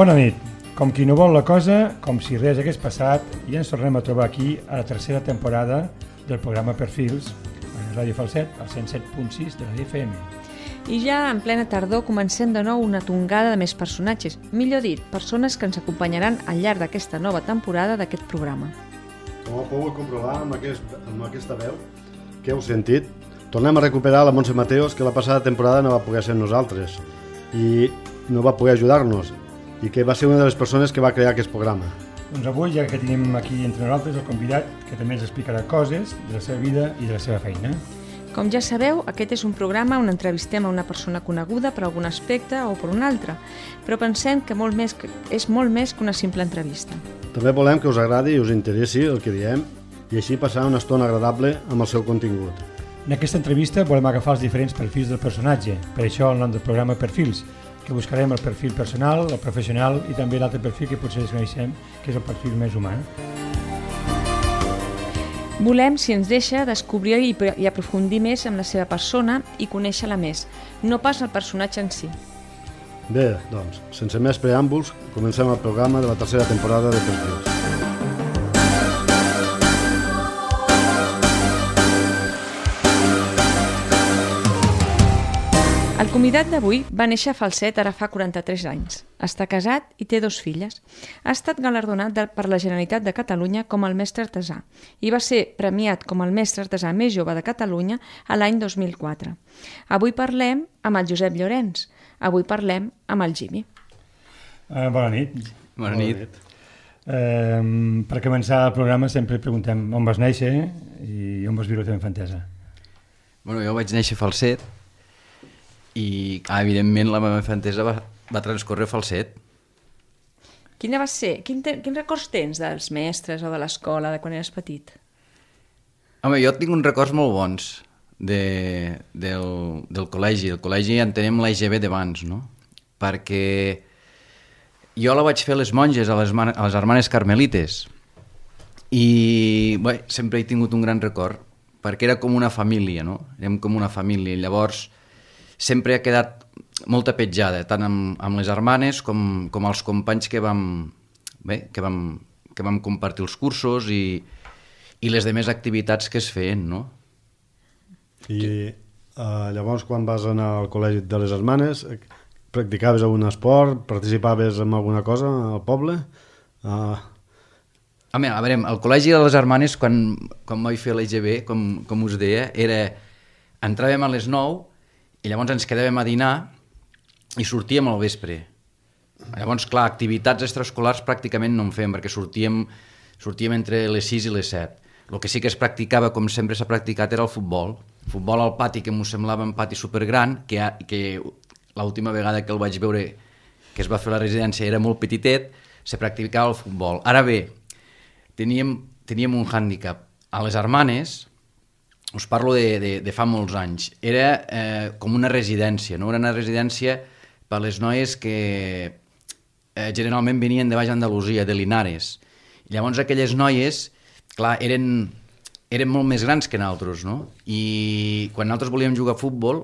Bona nit. Com qui no vol la cosa, com si res hagués passat, i ens tornem a trobar aquí a la tercera temporada del programa Perfils, a Ràdio Falset, al 107.6 de la FM. I ja en plena tardor comencem de nou una tongada de més personatges, millor dit, persones que ens acompanyaran al llarg d'aquesta nova temporada d'aquest programa. Com ho pogut comprovar amb aquesta veu que heu sentit, tornem a recuperar la Montse Mateos, que la passada temporada no va poder ser nosaltres i no va poder ajudar-nos, i que va ser una de les persones que va crear aquest programa. Doncs avui, ja que tenim aquí entre nosaltres el convidat, que també ens explicarà coses de la seva vida i de la seva feina. Com ja sabeu, aquest és un programa on entrevistem a una persona coneguda per algun aspecte o per un altre, però pensem que és molt més que una simple entrevista. També volem que us agradi i us interessi el que diem i així passar una estona agradable amb el seu contingut. En aquesta entrevista volem agafar els diferents perfils del personatge, per això el nom del programa Perfils, que buscarem el perfil personal, el professional i també l'altre perfil que potser desconeixem, que és el perfil més humà. Volem, si ens deixa, descobrir i aprofundir més en la seva persona i conèixer-la més, no pas el personatge en si. Bé, doncs, sense més preàmbuls, comencem el programa de la tercera temporada de Perfils. El convidat d'avui va néixer a Falset ara fa 43 anys. Està casat i té 2 filles. Ha estat galardonat per la Generalitat de Catalunya com el mestre artesà i va ser premiat com el mestre artesà més jove de Catalunya a l'any 2004. Avui parlem amb el Josep Llorenç. Avui parlem amb el Jimmy. Bona nit. Bona nit. Per començar el programa sempre preguntem on vas néixer i on vas viure la teva infantesa. Bueno, jo vaig néixer a Falset i, evidentment, la meva infantesa va transcorrer a Falset. Quina va ser? Quins records tens dels mestres o de l'escola de quan eres petit? Home, jo tinc uns records molt bons del col·legi. El col·legi entenem l'EGB d'abans, no? Perquè jo la vaig fer a les monges, a les Hermanes Carmelites, i bé, sempre he tingut un gran record, perquè era com una família, no? Érem com una família, llavors sempre ha quedat molta petjada, tant amb les hermanes com els companys que vam compartir els cursos i les demés activitats que es feien, no? I llavors, quan vas anar al col·legi de les hermanes, practicaves algun esport, participaves en alguna cosa al poble? A veure, al col·legi de les hermanes, quan vaig fer l'EGB, com us deia, entràvem a les 9 i llavors ens quedàvem a dinar i sortíem al vespre. Llavors, clar, activitats extraescolars pràcticament no en fèiem, perquè sortíem entre les 6 i les 7. El que sí que es practicava, com sempre s'ha practicat, era el futbol. Futbol al pati, que m'ho semblava un pati supergran, que l'última vegada que el vaig veure, que es va fer a la residència, era molt petitet, se practicava el futbol. Ara bé, teníem un hàndicap. A les hermanes, us parlo de fa molts anys, era com una residència, no? Era una residència per les noies que generalment venien de Baix Andalusia, de Linares. I llavors aquelles noies, clar, eren molt més grans que nosaltres, no? I quan nosaltres volíem jugar a futbol,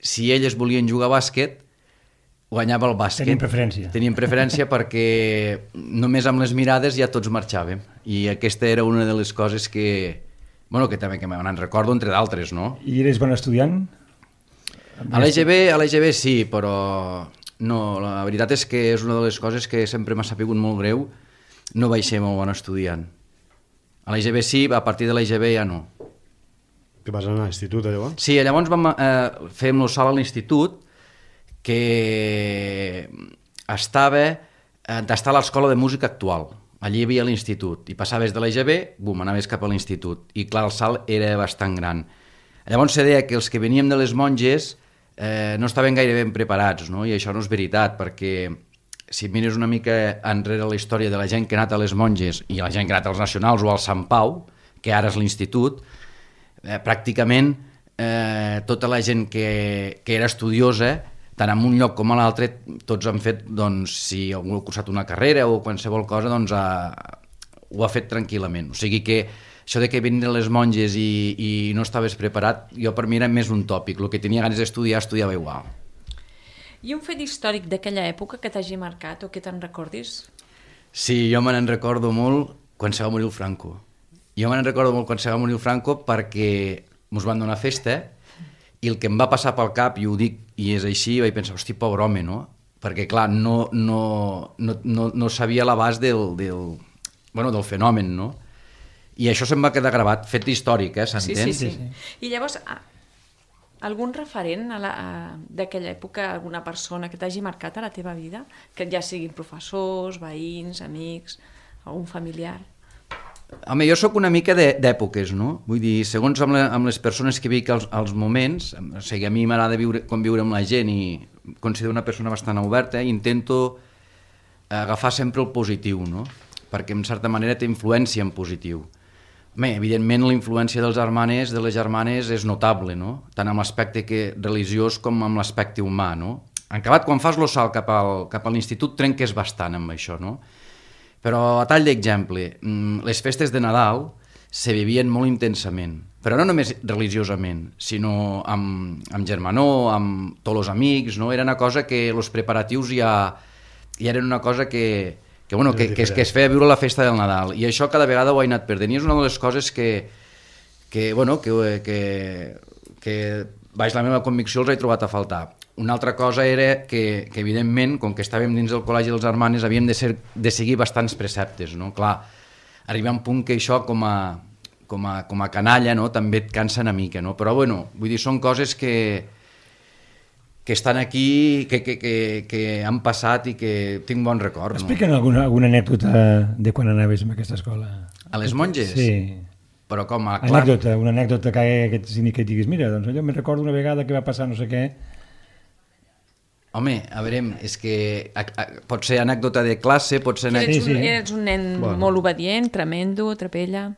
si elles volien jugar a bàsquet, guanyava el bàsquet. Teníem preferència perquè només amb les mirades ja tots marxàvem. I aquesta era una de les coses que també que me'n recordo, entre d'altres, no? I eres bon estudiant? A l'EGB sí, però no, la veritat és que és una de les coses que sempre m'ha sapigut molt greu, no vaig ser molt bon estudiant. A l'EGB sí, a partir de l'EGB ja no. Que vas anar a l'institut, llavors? Sí, llavors fèiem l'ossal a l'institut, que estava a l'Escola de Música Actual. Allí hi havia l'institut, i passaves de l'EGB, anaves cap a l'institut, i clar, el salt era bastant gran. Llavors se deia que els que veníem de les monges no estaven gaire ben preparats, no? I això no és veritat, perquè si mires una mica enrere la història de la gent que ha anat a les monges i la gent que ha anat als nacionals o al Sant Pau, que ara és l'institut, pràcticament tota la gent que era estudiosa, tant en un lloc com a l'altre, tots han fet, doncs, si algú ha cursat una carrera o qualsevol cosa, doncs ho ha fet tranquil·lament. O sigui que això de que venien les monges i no estaves preparat, jo per mi era més un tòpic. El que tenia ganes d'estudiar, estudiava igual. I un fet històric d'aquella època que t'hagi marcat o que te'n recordis? Sí, jo me n'en recordo molt quan se va morir el Franco. Jo me n'en recordo molt quan se va morir el Franco perquè mos van donar festa i el que em va passar pel cap, i ho dic, i és així, vaig pensar, hosti, pobre home, no? Perquè, clar, no sabia l'abast del fenomen, no? I això se'm va quedar gravat, fet històric, s'entén? Sí. I llavors, algun referent d'aquella època, alguna persona que t'hagi marcat a la teva vida, que ja siguin professors, veïns, amics, algun familiar? Home, jo sóc una mica d'èpoques, no? Vull dir, segons amb les persones que vic als moments, o sigui, a mi m'agrada conviure amb la gent i considero una persona bastant oberta i intento agafar sempre el positiu, no? Perquè en certa manera té influència en positiu. Home, evidentment la influència dels germanes, de les germanes, és notable, no? Tant amb l'aspecte religiós com amb l'aspecte humà, no? En acabat, quan fas lo salt cap a l'institut, trenques bastant amb això, no? Però, a tall d'exemple, les festes de Nadal se vivien molt intensament, però no només religiosament, sinó amb germanor, amb tots els amics, no? Era una cosa que els preparatius ja eren una cosa que es feia viure la festa del Nadal, i això cada vegada ho he anat perdent, i és una de les coses que baix la meva convicció els he trobat a faltar. Una altra cosa era que evidentment, com que estàvem dins del col·legi dels germanes, havíem de seguir bastants preceptes, no? Clar, arriba un punt que això com a canalla, no? També et cansa una mica, no? Però bueno, vull dir, són coses que estan aquí, que han passat i que tinc bon record. Explica'm alguna anècdota de quan anaves a aquesta escola. A les monges? Sí. Però com a... Una anècdota que diguis, mira, doncs jo me'n recordo una vegada que va passar no sé què. Home, a veure, és que pot ser anècdota de classe, pot ser... Eres un nen molt obedient, tremendo, trapella...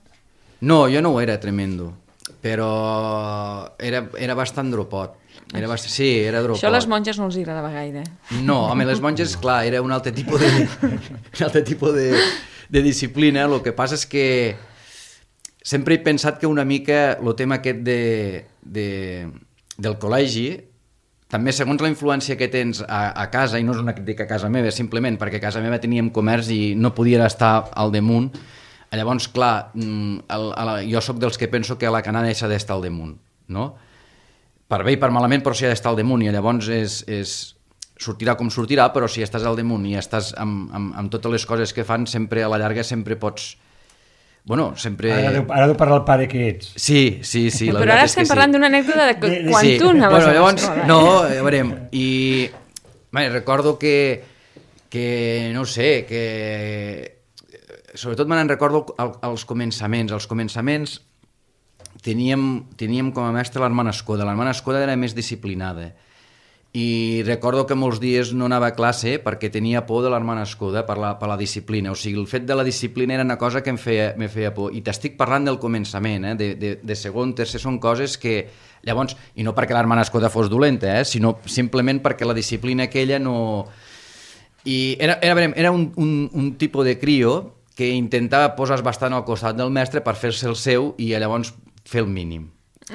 No, jo no ho era tremendo, però era bastant dropot. Sí, era dropot. Això a les monges no els agradava gaire. No, home, les monges, clar, era un altre tipus de disciplina. El que passa és que sempre he pensat que una mica el tema aquest del col·legi, també segons la influència que tens a casa, i no és una crítica a casa meva, simplement perquè a casa meva teníem comerç i no podia estar al damunt, llavors, clar, jo sóc dels que penso que la canalla s'ha d'estar al damunt, no? Per bé i per malament, però s'ha d'estar al damunt, i llavors sortirà com sortirà, però si estàs al damunt i estàs amb totes les coses que fan, sempre a la llarga sempre pots... Bueno, sempre... Ara deu parlar el pare que ets. Sí, la però ara estem parlant d'una anècdota de quan tu anaves a l'escola. No, a veure, i recordo que no sé, que sobretot me'n recordo els començaments. Els començaments teníem com a mestre l'Hermana Escoda. L'Hermana Escoda era més disciplinada. I recordo que molts dies no anava a classe perquè tenia por de l'Hermana Escoda per la disciplina. O sigui, el fet de la disciplina era una cosa que em feia por. I t'estic parlant del començament, de segon, tercer, són coses que... Llavors, i no perquè l'Hermana Escoda fos dolenta, sinó simplement perquè la disciplina aquella no... I era un tipus de crio que intentava posar bastant al costat del mestre per fer-se el seu i llavors fer el mínim.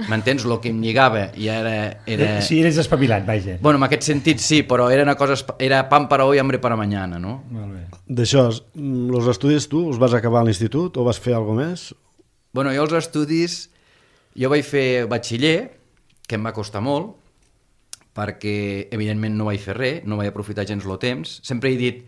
M'entens? El que em lligava i era... Sí, eres espavilat, vaja. Bueno, en aquest sentit sí, però era una cosa... Era pan para hoy, hambre para mañana, no? Molt bé. D'això, els estudis tu els vas acabar a l'institut o vas fer alguna més? Bueno, jo els estudis... Jo vaig fer batxiller, que em va costar molt, perquè evidentment no vaig fer res, no vaig aprofitar gens el temps. Sempre he dit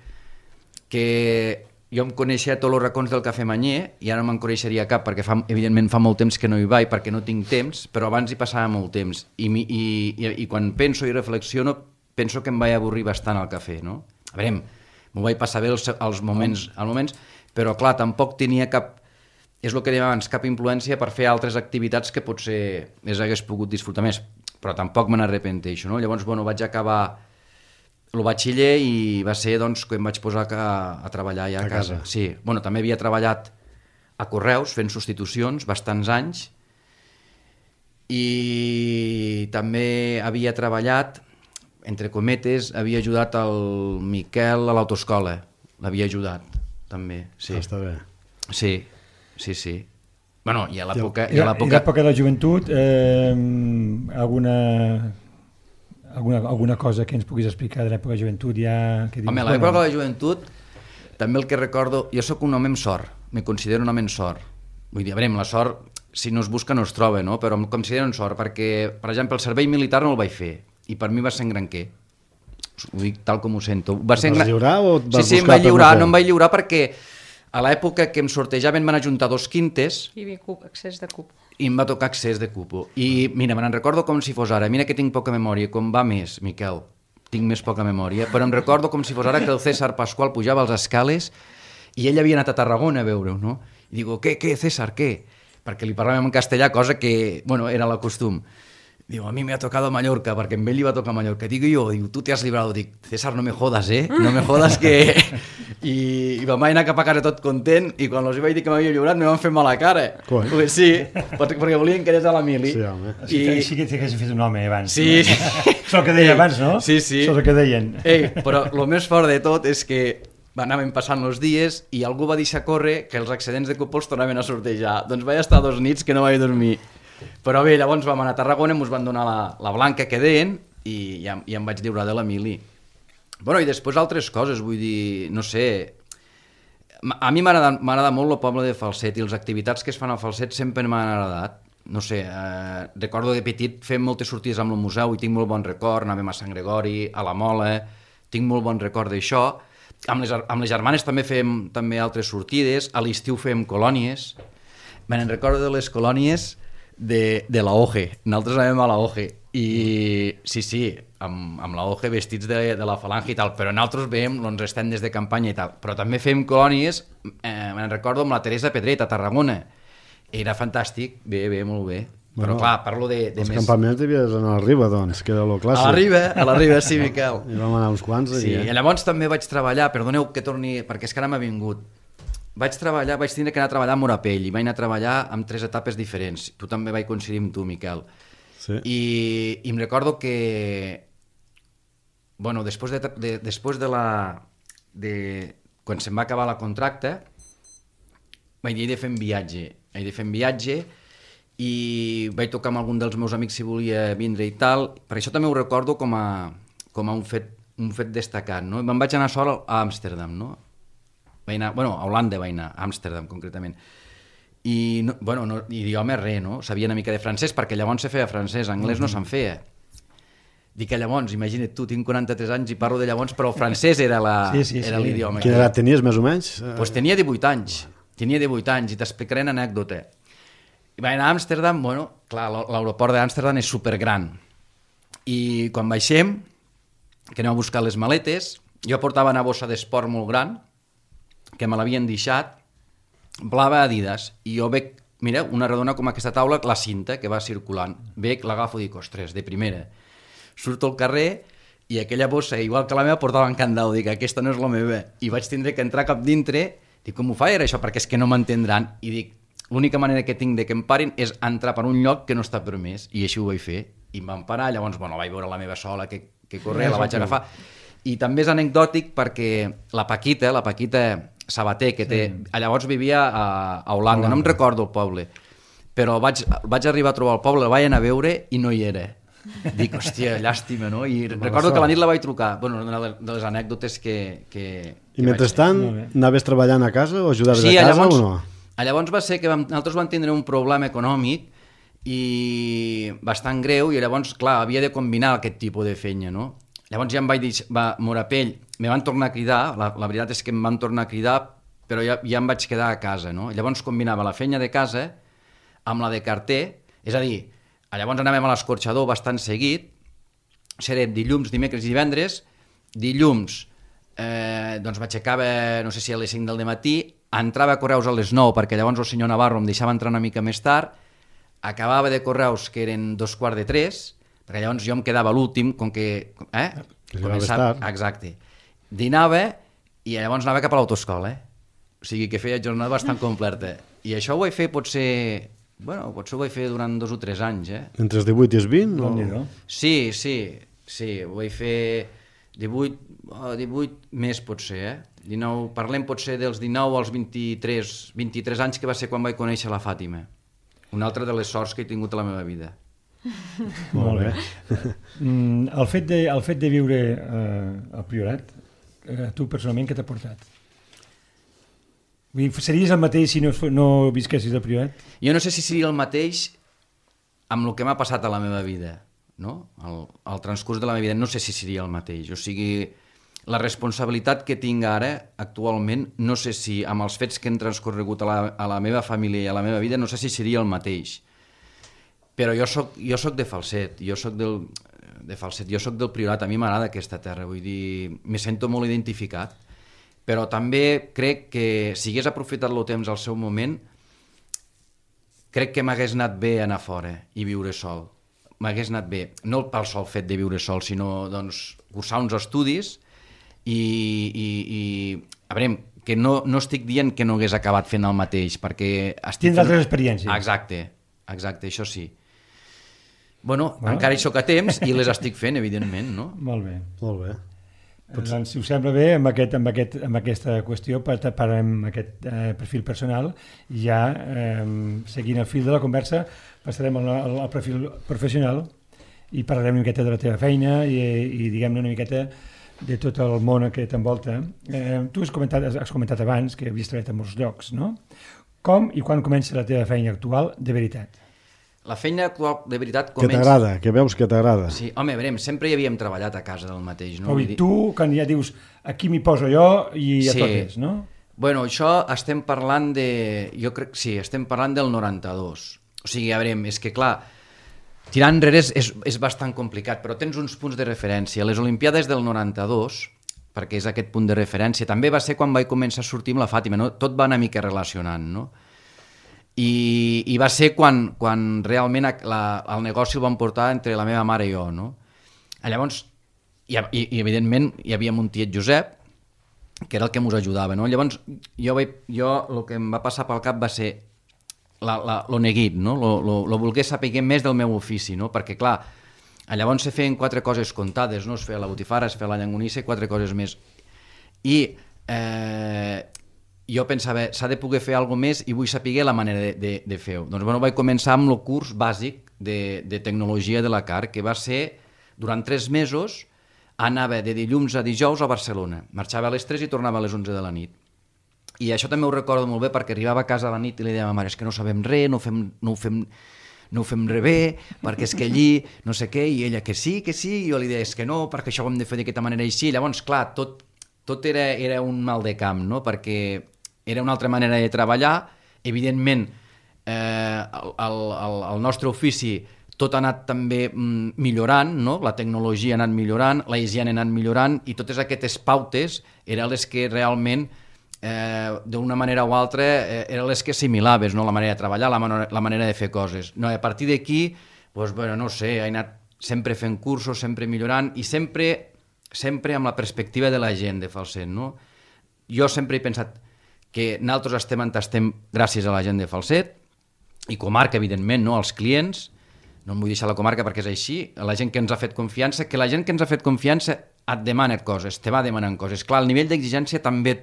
que jo em coneixia tots els racons del Cafè Manyer i ara no me'n coneixeria cap perquè evidentment fa molt temps que no hi vaig perquè no tinc temps, però abans hi passava molt temps i quan penso i reflexiono penso que em vaig avorrir bastant al cafè, no? A veure, m'ho vaig passar bé als moments, però clar, tampoc tenia cap, és el que dèiem abans, cap influència per fer altres activitats que potser les hagués pogut disfrutar més, però tampoc me n'arrepenteixo, no? Llavors, bueno, vaig acabar el batxiller i va ser doncs, que em vaig posar a treballar ja a casa. Sí. Bueno, també havia treballat a Correus fent substitucions bastants anys i també havia treballat, entre cometes, havia ajudat el Miquel a l'autoescola. L'havia ajudat, també. Sí. Està bé. Sí. Bueno, i a l'època... I a l'època de la joventut, alguna cosa que ens puguis explicar de l'època de joventut ja... Home, l'època de joventut, també el que recordo... Jo sóc un home amb sort, me considero un home amb sort. Vull dir, a veure, la sort, si no es busca no es troba, no? Però em considero un sort perquè, per exemple, el servei militar no el vaig fer i per mi va ser en granquer. Ho dic tal com ho sento. Vas lliurar o et vas buscar? Sí, em vaig lliurar, no em vaig lliurar perquè a l'època que em sortejaven van ajuntar 2 quintes... I accés de cupo. I em va tocar accés de cupo. I mira, me'n recordo com si fos ara. Mira que tinc poca memòria, com va més, Miquel. Tinc més poca memòria, però em recordo com si fos ara que el César Pascual pujava als escales i ell havia anat a Tarragona a veure-ho, no? I digo, què, César, què? Perquè li parlàvem en castellà, cosa que, bueno, era la costum. Digo, a mí me ha tocado Mallorca, perquè amb ell li va tocar Mallorca. Digo jo, tu te has librado. Dic, César, no me jodas, no me jodas que... I vam anar cap a casa tot content i quan els vaig dir que m'havia lliurat me van fer mala cara. Pues sí, perquè volien que anés a la mili. Sí, home. Sí que t'haguessin fet un home abans. Sí. Això el que deia abans, no? Sí. Això és el que deien. Però el més fort de tot és que anaven passant els dies i algú va deixar córrer que els excedents de cupo els tornaven a sortejar. Doncs vaig estar 2 nits que no vaig dormir. Però bé, llavors vam anar a Tarragona, ens van donar la blanca que deien i em vaig lliurar de la mili. Bueno, i després altres coses, vull dir, no sé... A mi m'agrada molt el poble de Falset i les activitats que es fan al Falset sempre m'han agradat. No sé, recordo de petit fem moltes sortides amb el museu i tinc molt bon record, anàvem a Sant Gregori, a la Mola, tinc molt bon record d'això. Amb les germanes també fem altres sortides, a l'estiu fem colònies. Me'n recordo de les colònies de la OGE, nosaltres anàvem a la OGE i sí, amb la OGE vestits de la falange i tal, però nosaltres veiem els estendes de campanya i tal, però també fem colònies, me'n recordo amb la Teresa Pedret a Tarragona, era fantàstic, bé, molt bé, però clar, parlo de els més... campaments devies anar a la Riba, doncs, que era lo clàssic. A la Riba, sí, Miquel. I vam anar uns quants sí, aquí, i llavors també vaig treballar, perdoneu que torni, perquè és que ara m'ha vingut, vaig tindre que anar a treballar a Morapell i vaig anar a treballar amb 3 etapes diferents. Tu també vaig coincidir amb tu, Miquel. Sí. I em recordo que... Bueno, després de la... quan se'm va acabar la contracte, vaig dir, he de fer un viatge i vaig tocar amb algun dels meus amics si volia vindre i tal. Per això també ho recordo com a un fet destacat, no? Me'n vaig anar sol a Amsterdam, no? A Holanda vaig anar, a Amsterdam concretament. I, idioma res, no? Sabia una mica de francès, perquè llavors se feia francès, anglès no se'n feia. Dic que llavors, imagina't tu, tinc 43 anys i parlo de llavors, però el francès era l'idioma. Quina edat tenies, més o menys? Doncs tenia 18 anys, i t'explicaré una anècdota. I vaig anar a Amsterdam, clar, l'aeroport d'Amsterdam és supergran. I quan baixem, que anem a buscar les maletes, jo portava una bossa d'esport molt gran, que me l'havien deixat, blava Adidas, i jo veig, mira, una redona com aquesta taula, la cinta que va circulant, veig, l'agafo i dic, ostres, de primera. Surto al carrer i aquella bossa, igual que la meva, portava en candau, dic, aquesta no és la meva, i vaig tindre que entrar cap dintre, dic, com ho faig ara això, perquè és que no m'entendran, i dic, l'única manera que tinc de que em parin és entrar per un lloc que no està permès, i així ho vaig fer, i em van parar, llavors, vaig veure la meva sola que corria, la vaig agafar, i també és anecdòtic perquè la Paquita Sabater, que té... Llavors vivia a Holanda, no em recordo el poble, però vaig arribar a trobar el poble, el vaig anar a veure i no hi era. Dic, hòstia, llàstima, no? I recordo que la nit la vaig trucar. Bueno, una de les anècdotes que I mentrestant, anaves treballant a casa o ajudaves a casa o no? Llavors va ser que nosaltres vam tindre un problema econòmic i bastant greu, i llavors, clar, havia de combinar aquest tipus de feina, no? Llavors ja em vaig dir, Morapell, me van tornar a cridar, la veritat és que em van tornar a cridar, però ja em vaig quedar a casa, no? Llavors combinava la feina de casa amb la de carter, és a dir, llavors anàvem a l'escorxador bastant seguit, serem dilluns, dimecres i divendres, dilluns doncs m'aixecava, no sé si a les 5 del matí, entrava a Correus a les 9, perquè llavors el senyor Navarro em deixava entrar una mica més tard, acabava de Correus, que eren 2:45, perquè llavors jo em quedava l'últim, com que... Exacte. Dinava i llavors anava cap a l'autoscola, O sigui que feia jornada bastant completa. I això ho vaig fer potser ho vaig fer durant 2 o 3 anys, Entre els 18 i els 20? No? Sí, ho vaig fer 18 més potser, 19, parlem potser dels 19 als 23 anys, que va ser quan vaig conèixer la Fàtima. Una altra de les sorts que he tingut a la meva vida. Molt bé. El fet de viure al Priorat, tu personalment què t'ha portat? Vull dir, series el mateix si no visquessis al Priorat? Jo no sé si seria el mateix amb el que m'ha passat a la meva vida, no? El transcurs de la meva vida no sé si seria el mateix. O sigui, la responsabilitat que tinc ara, actualment, no sé si amb els fets que han transcorregut a la meva família i a la meva vida, no sé si seria el mateix. Però jo soc de Falset, jo soc del Priorat, a mi m'agrada aquesta terra, vull dir, me sento molt identificat, però també crec que si hagués aprofitat el temps al seu moment, crec que m'hagués anat bé anar fora i viure sol. M'hagués anat bé, no pel sol fet de viure sol, sinó doncs, cursar uns estudis i a veure, que no estic dient que no hagués acabat fent el mateix, perquè... Tens altres experiències. Exacte, això sí. Bueno, encara hi soc a temps i les estic fent, evidentment, no? Molt bé. Molt bé. Doncs, si us sembla bé, amb aquesta qüestió, parlem amb aquest perfil personal, i ja, seguint el fil de la conversa, passarem al perfil professional i parlarem una miqueta de la teva feina i diguem-ne una miqueta de tot el món que t'envolta. Tu has comentat abans que havies treballat en molts llocs, no? Com i quan comença la teva feina actual de veritat? La feina actual de veritat comença... Que t'agrada, que veus que t'agrada. Sí, home, veurem, sempre hi havíem treballat a casa del mateix, no? I tu, quan ja dius, aquí m'hi poso jo i a totes, no? Bueno, això estem parlant de... Jo crec, sí, estem parlant del 92. O sigui, a veure, és que clar, tirar enrere és bastant complicat, però tens uns punts de referència. Les Olimpiades del 92, perquè és aquest punt de referència, també va ser quan vaig començar a sortir amb la Fàtima, no? Tot va una mica relacionant, no? I va ser quan realment el negoci el vam portar entre la meva mare i jo, no? Llavors, i evidentment hi havia un tiet Josep, que era el que ens ajudava, no? Llavors, jo el que em va passar pel cap va ser lo neguit, no? Lo voler saber més del meu ofici, no? Perquè, clar, llavors se feien 4 coses comptades, no? Es feia la botifarra, es feia la llangonissa i 4 coses més. I jo pensava, s'ha de poder fer alguna més i vull saber la manera de fer-ho. Doncs bueno, vaig començar amb el curs bàsic de tecnologia de la CAR, que va ser, durant 3 mesos, anava de dilluns a dijous a Barcelona. Marxava a les 3 i tornava a les 11 de la nit. I això també ho recordo molt bé perquè arribava a casa a la nit i li deia a ma mare, és que no sabem res, no ho fem res bé, perquè és que allí no sé què, i ella que sí, i jo li deia, és que no, perquè això ho hem de fer d'aquesta manera i així. Llavors, clar, tot era un mal de camp, no? Perquè era una altra manera de treballar. Evidentment, el nostre ofici tot ha anat també millorant, no? La tecnologia ha anat millorant, la higiene ha anat millorant, i totes aquestes pautes eren les que realment, d'una manera o altra, eren les que assimilaves, no? La manera de treballar, la manera de fer coses. No, a partir d'aquí, doncs, bueno, no sé, he anat sempre fent cursos, sempre millorant, i sempre amb la perspectiva de la gent de Falset, no? Jo sempre he pensat que nosaltres estem on estem gràcies a la gent de Falset, i comarca, evidentment, no? Els clients, no em vull deixar la comarca perquè és així, la gent que ens ha fet confiança, que la gent que ens ha fet confiança et demana coses, te va demanant coses. Clar, el nivell d'exigència també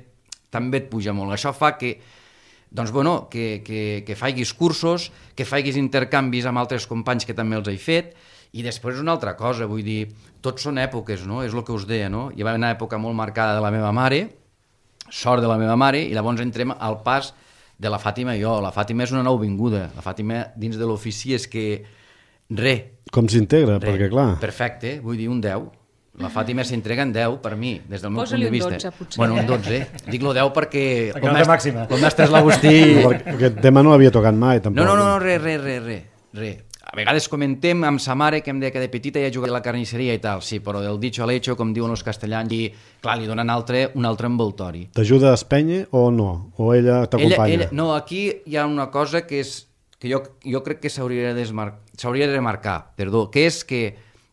et puja molt. Això fa que, doncs, bueno, que faiguis cursos, que faiguis intercanvis amb altres companys que també els he fet, i després una altra cosa, vull dir, tots són èpoques, no? És el que us deia, no? Hi va haver una època molt marcada de la meva mare, sort de la meva mare, i llavors entrem al pas de la Fàtima i jo. La Fàtima és una nouvinguda. La Fàtima dins de l'ofici és que Com s'integra? Perquè clar... Perfecte, vull dir un 10. La Fàtima s'entrega en 10 per mi, des del meu punt de vista. Posa-li un 12, potser. Bueno, un 12. Dic lo 10 perquè el mestre l'Agustí... Aquest tema no l'havia tocat mai, tampoc. No, res. A vegades comentem amb sa mare que em deia que de petita ja jugava a la carnisseria i tal, sí, però del dicho al hecho, com diuen els castellans, i clar, li donen un altre envoltori. T'ajuda a espènyer o no? O ella t'acompanya? No, aquí hi ha una cosa que jo crec que s'hauria de remarcar, que és que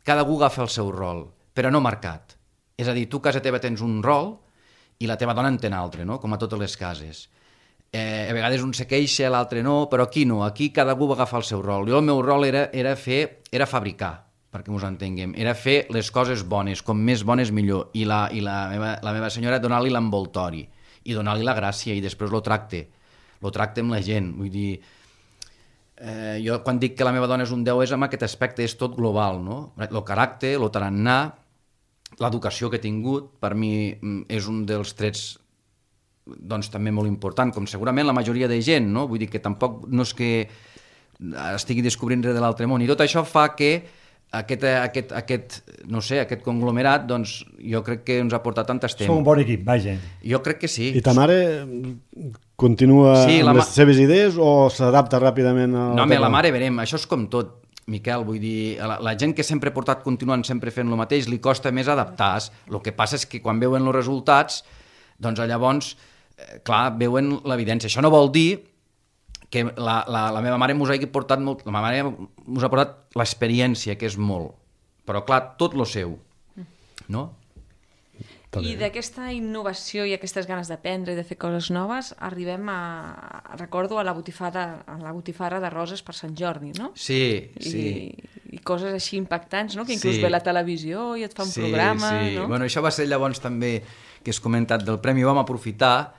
cada algú agafa el seu rol, però no marcat. És a dir, tu a casa teva tens un rol i la teva dona en té un altre, no? Com a totes les cases. A vegades un se queixa, l'altre no, però aquí no, aquí cada algú va agafar el seu rol. Jo el meu rol era fabricar, perquè ens entenguem, era fer les coses bones, com més bones millor, i la meva senyora donar-li l'envoltori, i donar-li la gràcia, i després lo tracte amb la gent, vull dir, Jo quan dic que la meva dona és un 10 és amb aquest aspecte, és tot global, no? El caràcter, el tarannà, l'educació que he tingut, per mi és un dels trets doncs també molt important, com segurament la majoria de gent, no? Vull dir que tampoc no és que estigui descobrint res de l'altre món, i tot això fa que aquest conglomerat, doncs jo crec que ens ha portat tant estem. Sou un bon equip, vaja. Jo crec que sí. I ta mare continua amb les seves idees o s'adapta ràpidament a... No, home, la mare, verem, això és com tot, Miquel, vull dir, la gent que sempre ha portat continuant sempre fent el mateix, li costa més adaptar-se. El que passa és que quan veuen els resultats, doncs llavors, clar, veuen l'evidència. Això no vol dir que la meva mare mos hagi portat molt... La meva mare mos ha portat l'experiència, que és molt. Però, clar, tot lo seu, no? I d'aquesta innovació i aquestes ganes d'aprendre i de fer coses noves, arribem recordo, a la botifarra de roses per Sant Jordi, no? Sí, sí. I coses així impactants, no? Que inclús ve la televisió i et fa un programa, no? Bueno, això va ser llavors també, que has comentat del premi, ho vam aprofitar,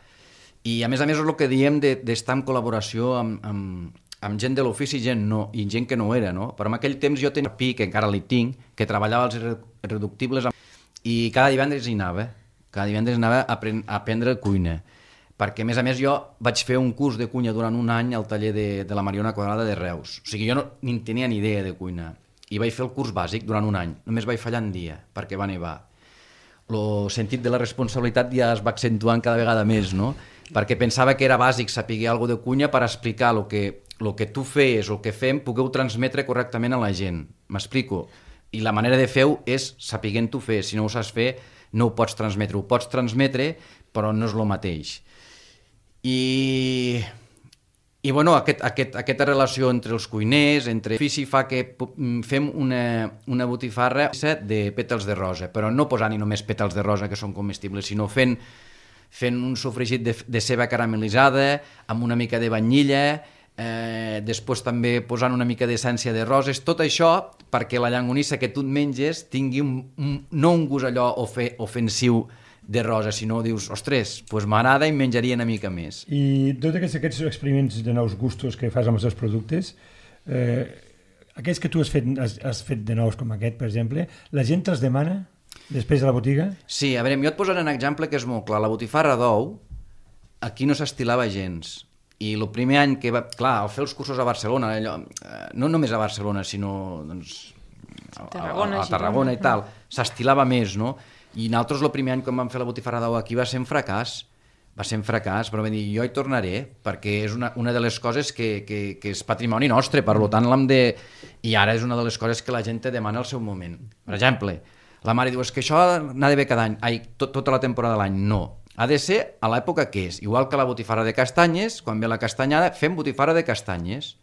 i a més és el que diem d'estar en col·laboració amb gent de l'ofici i gent que no era, no? Però en aquell temps jo tenia Pi, que encara li tinc, que treballava als Irreductibles, i cada divendres hi anava. Cada divendres anava a aprendre cuina. Perquè, a més, jo vaig fer un curs de cuina durant un any al taller de la Mariona Quadrada de Reus. O sigui, jo no ni tenia ni idea de cuina. I vaig fer el curs bàsic durant un any. Només vaig fallar un dia, perquè va nevar. El sentit de la responsabilitat ja es va accentuant cada vegada més, no? Perquè pensava que era bàsic saber alguna de cuina per explicar el que tu feies, el que fem, pugueu transmetre correctament a la gent. M'explico? I la manera de fer-ho és sapiguent-ho fer. Si no ho saps fer, no ho pots transmetre. Ho pots transmetre, però no és el mateix. I bueno, aquesta relació entre els cuiners, entre ofici, fa que fem una botifarra de pètals de rosa, però no posant-hi només pètals de rosa que són comestibles, sinó fent un sofregit de ceba caramelitzada, amb una mica de vainilla, després també posant una mica d'essència de roses, tot això perquè la llangonissa que tu et menges tingui no un gust allò ofensiu de rosa, sinó dius, ostres, doncs m'agrada i menjaria una mica més. I tots aquests experiments de nous gustos que fas amb els teus productes, aquells que tu has fet de nous com aquest, per exemple, la gent te'ls demana després a la botiga? Sí, a veure, jo et posaré un exemple que és molt clar. La botifarra d'ou aquí no s'estilava gens. I el primer any que al fer els cursos a Barcelona, no només a Barcelona, sinó a Tarragona i tal, s'estilava més, no? I nosaltres el primer any quan vam fer la botifarra d'ou aquí va ser un fracàs, però vam dir, jo hi tornaré, perquè és una de les coses que és patrimoni nostre, per tant l'hem de... I ara és una de les coses que la gent te demana al seu moment. Per exemple, la mare diu, és que això n'ha de ver cada any, tota la temporada de l'any, no. Ha de ser a l'època que és. Igual que la botifarra de castanyes, quan ve la castanyada, fem botifarra de castanyes.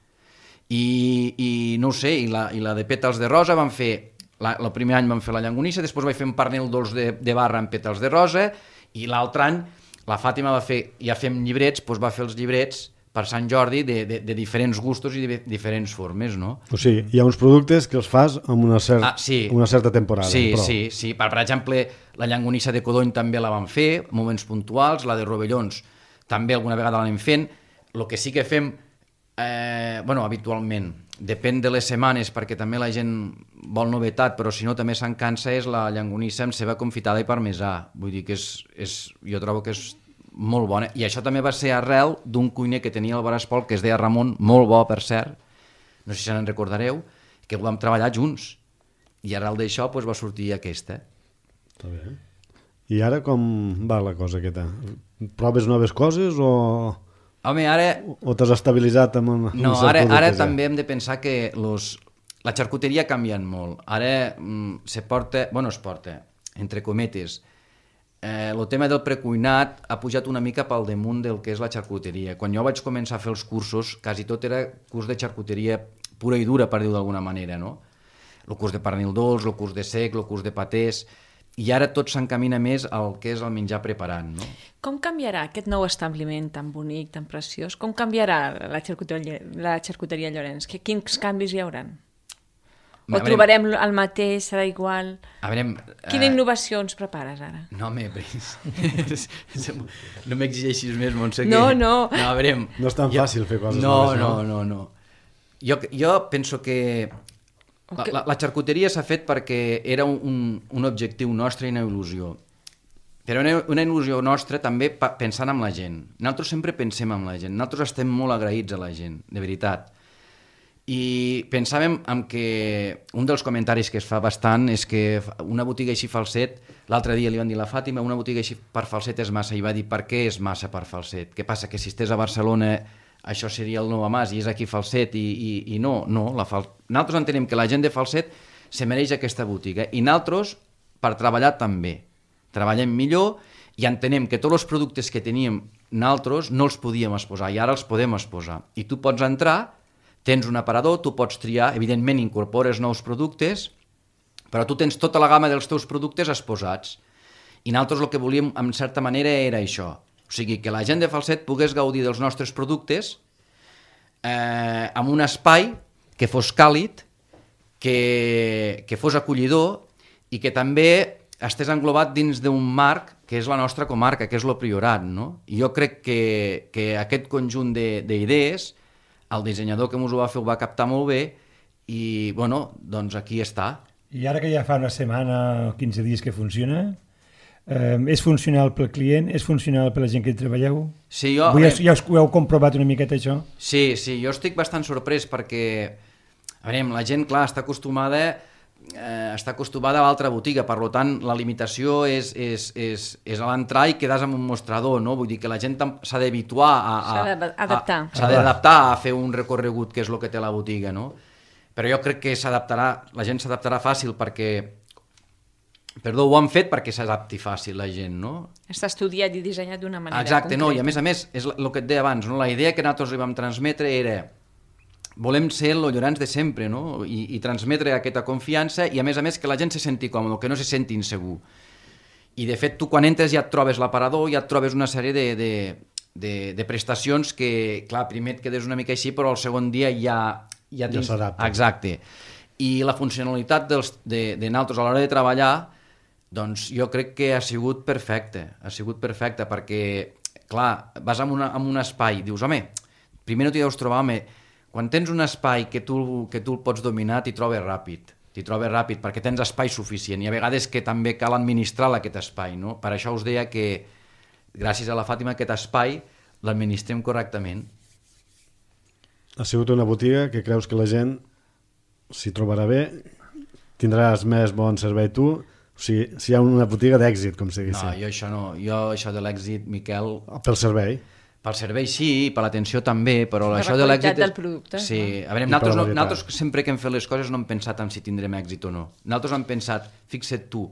I no ho sé, i la de pètals de rosa van fer... El primer any vam fer la llangonissa, després vaig fer un pernil dolç de barra amb pètals de rosa, i l'altre any la Fàtima va fer, ja fem llibrets, doncs va fer els llibrets per Sant Jordi de diferents gustos i de diferents formes, no? O sigui, hi ha uns productes que els fas amb una certa temporada. Sí, però... sí. Per exemple, la llangonissa de codony també la vam fer, moments puntuals, la de rovellons també alguna vegada l'anem fent. El que sí que fem, habitualment, depèn de les setmanes, perquè també la gent vol novetat, però si no també se'n cansa, és la llangonissa amb ceba confitada i parmesà. Vull dir que jo trobo que és molt bona, i això també va ser arrel d'un cuiner que tenia al Bar Espol, que es deia Ramon, molt bo per cert, no sé si se'n recordareu, que ho vam treballar junts, i arrel d'això va sortir aquesta. Està bé. I ara com va la cosa aquesta? Proves noves coses o... Home, ara... O t'has estabilitzat amb no, ara també hem de pensar que la xarcuteria ha canviat molt. Ara es porta, entre cometes, el tema del precuinat ha pujat una mica pel damunt del que és la xarcuteria. Quan jo vaig començar a fer els cursos, quasi tot era curs de xarcuteria pura i dura, per dir-ho d'alguna manera, no? El curs de pernil dolç, el curs de sec, el curs de patés... I ara tot s'encamina més al que és el menjar preparant, no? Com canviarà aquest nou establiment tan bonic, tan preciós? Com canviarà la xarcuteria Llorenç? Quins canvis hi haurà? O trobarem el mateix, serà igual? Quina innovació ens prepares ara? No, no m'exigeixis més, Montse. No. No és tan fàcil fer coses noves, no. Jo penso que la xarcuteria s'ha fet perquè era un objectiu nostre i una il·lusió. Però una il·lusió nostra també pensant en la gent. Nosaltres sempre pensem en la gent. Nosaltres estem molt agraïts a la gent, de veritat. I pensàvem en que un dels comentaris que es fa bastant és que una botiga així Falset, l'altre dia li van dir a la Fàtima, una botiga així per Falset és massa, i va dir, per què és massa per Falset? Què passa, que si estés a Barcelona això seria el nou Mas i és aquí Falset i no. Nosaltres entenem que la gent de Falset se mereix aquesta botiga i nosaltres, per treballar també, treballem millor i entenem que tots els productes que teníem nosaltres no els podíem exposar i ara els podem exposar. I tu pots entrar, tens un aparador, tu pots triar, evidentment incorpores nous productes, però tu tens tota la gamma dels teus productes exposats. I nosaltres el que volíem, en certa manera, era això. O sigui, que la gent de Falset pogués gaudir dels nostres productes amb un espai que fos càlid, que fos acollidor i que també estàs englobat dins d'un marc que és la nostra comarca, que és el Priorat, no? I jo crec que aquest conjunt d'idees, el dissenyador que ens ho va fer ho va captar molt bé i, bueno, doncs aquí està. I ara que ja fa una setmana o 15 dies que funciona, és funcional pel client, és funcional per la gent que hi treballeu? Sí, ja ho heu comprovat una miqueta, això? Sí, jo estic bastant sorprès perquè, a veure, la gent, clar, està acostumada a l'altra botiga, per tant, la limitació és a l'entrar i quedes amb un mostrador, no? Vull dir que la gent s'ha d'habituar s'ha d'adaptar a fer un recorregut que és el que té la botiga, no? Però jo crec que la gent s'adaptarà fàcil perquè ho han fet perquè s'adapti fàcil la gent, no? Està estudiat i dissenyat d'una manera concreta. Exacte, no, i a més, és el que et deia abans, no? La idea que nosaltres li vam transmetre era volem ser el Llorenç de sempre, no? I transmetre aquesta confiança i a més que la gent se senti còmode, que no se senti insegur. I de fet tu quan entres ja et trobes l'aparador, ja et trobes una sèrie de prestacions que, clar, primer et quedes una mica així, però el segon dia ja s'adapta. Exacte. I la funcionalitat de nosaltres a l'hora de treballar, doncs jo crec que ha sigut perfecte, perquè, clar, vas en un espai, dius, home, primer no t'hi deus trobar, quan tens un espai que tu el pots dominar, t'hi trobes ràpid, perquè tens espai suficient, i a vegades que també cal administrar aquest espai, no? Per això us deia que, gràcies a la Fàtima, aquest espai l'administrem correctament. Ha sigut una botiga que creus que la gent s'hi trobarà bé, tindràs més bon servei tu, o sigui, si hi ha una botiga d'èxit, com si diguéssim. No, jo això de l'èxit, Miquel... Pel servei? Pel servei sí, per l'atenció també, però això de la l'èxit... qualitat del producte. Sí, a veure, nosaltres sempre que hem fet les coses no hem pensat en si tindrem èxit o no. Nosaltres hem pensat, fixa't tu,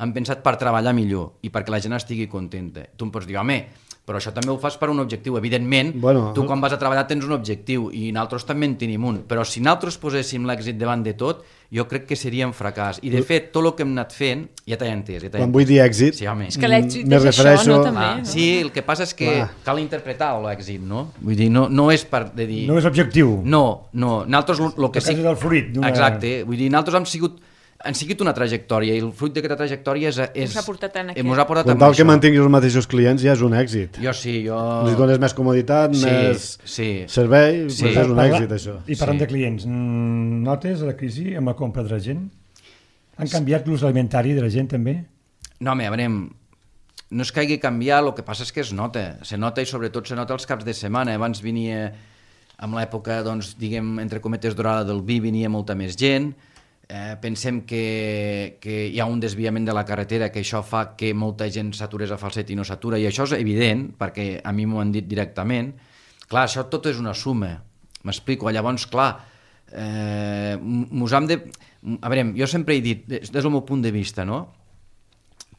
hem pensat per treballar millor i perquè la gent estigui contenta. Tu em pots dir, home, però això també ho fas per un objectiu. Evidentment, tu quan vas a treballar tens un objectiu i nosaltres també en tenim un, però si nosaltres poséssim l'èxit davant de tot, jo crec que seria un fracàs. I de fet, tot el que hem anat fent, ja t'he entès. Quan vull dir èxit, sí, home. És que l'èxit és això, no? També, no? Sí, el que passa és que cal interpretar l'èxit, no? Vull dir, no és per dir... No és objectiu. No. Nosaltres el que sí... és el fruit. Exacte. Vull dir, nosaltres han seguit una trajectòria i el fruit d'aquesta trajectòria ens ha portat en aquí. Quan tal que mantinguis els mateixos clients ja és un èxit. Jo sí, Li dones més comoditat, més servei, és un èxit això. I parlant de clients, notes la crisi amb la compra de la gent? Han canviat l'ús alimentari de la gent també? No, home, a veure, no és que hagi canviat, el que passa és que se nota i sobretot se nota els caps de setmana. Abans venia, amb l'època, doncs, diguem, entre cometes dorada del vi, venia molta més gent. Pensem que hi ha un desviament de la carretera, que això fa que molta gent s'aturés a Falset i no s'atura, i això és evident, perquè a mi m'ho han dit directament. Clar, això tot és una suma, m'explico. Llavors, clar, a veure, jo sempre he dit, des del meu punt de vista, no?,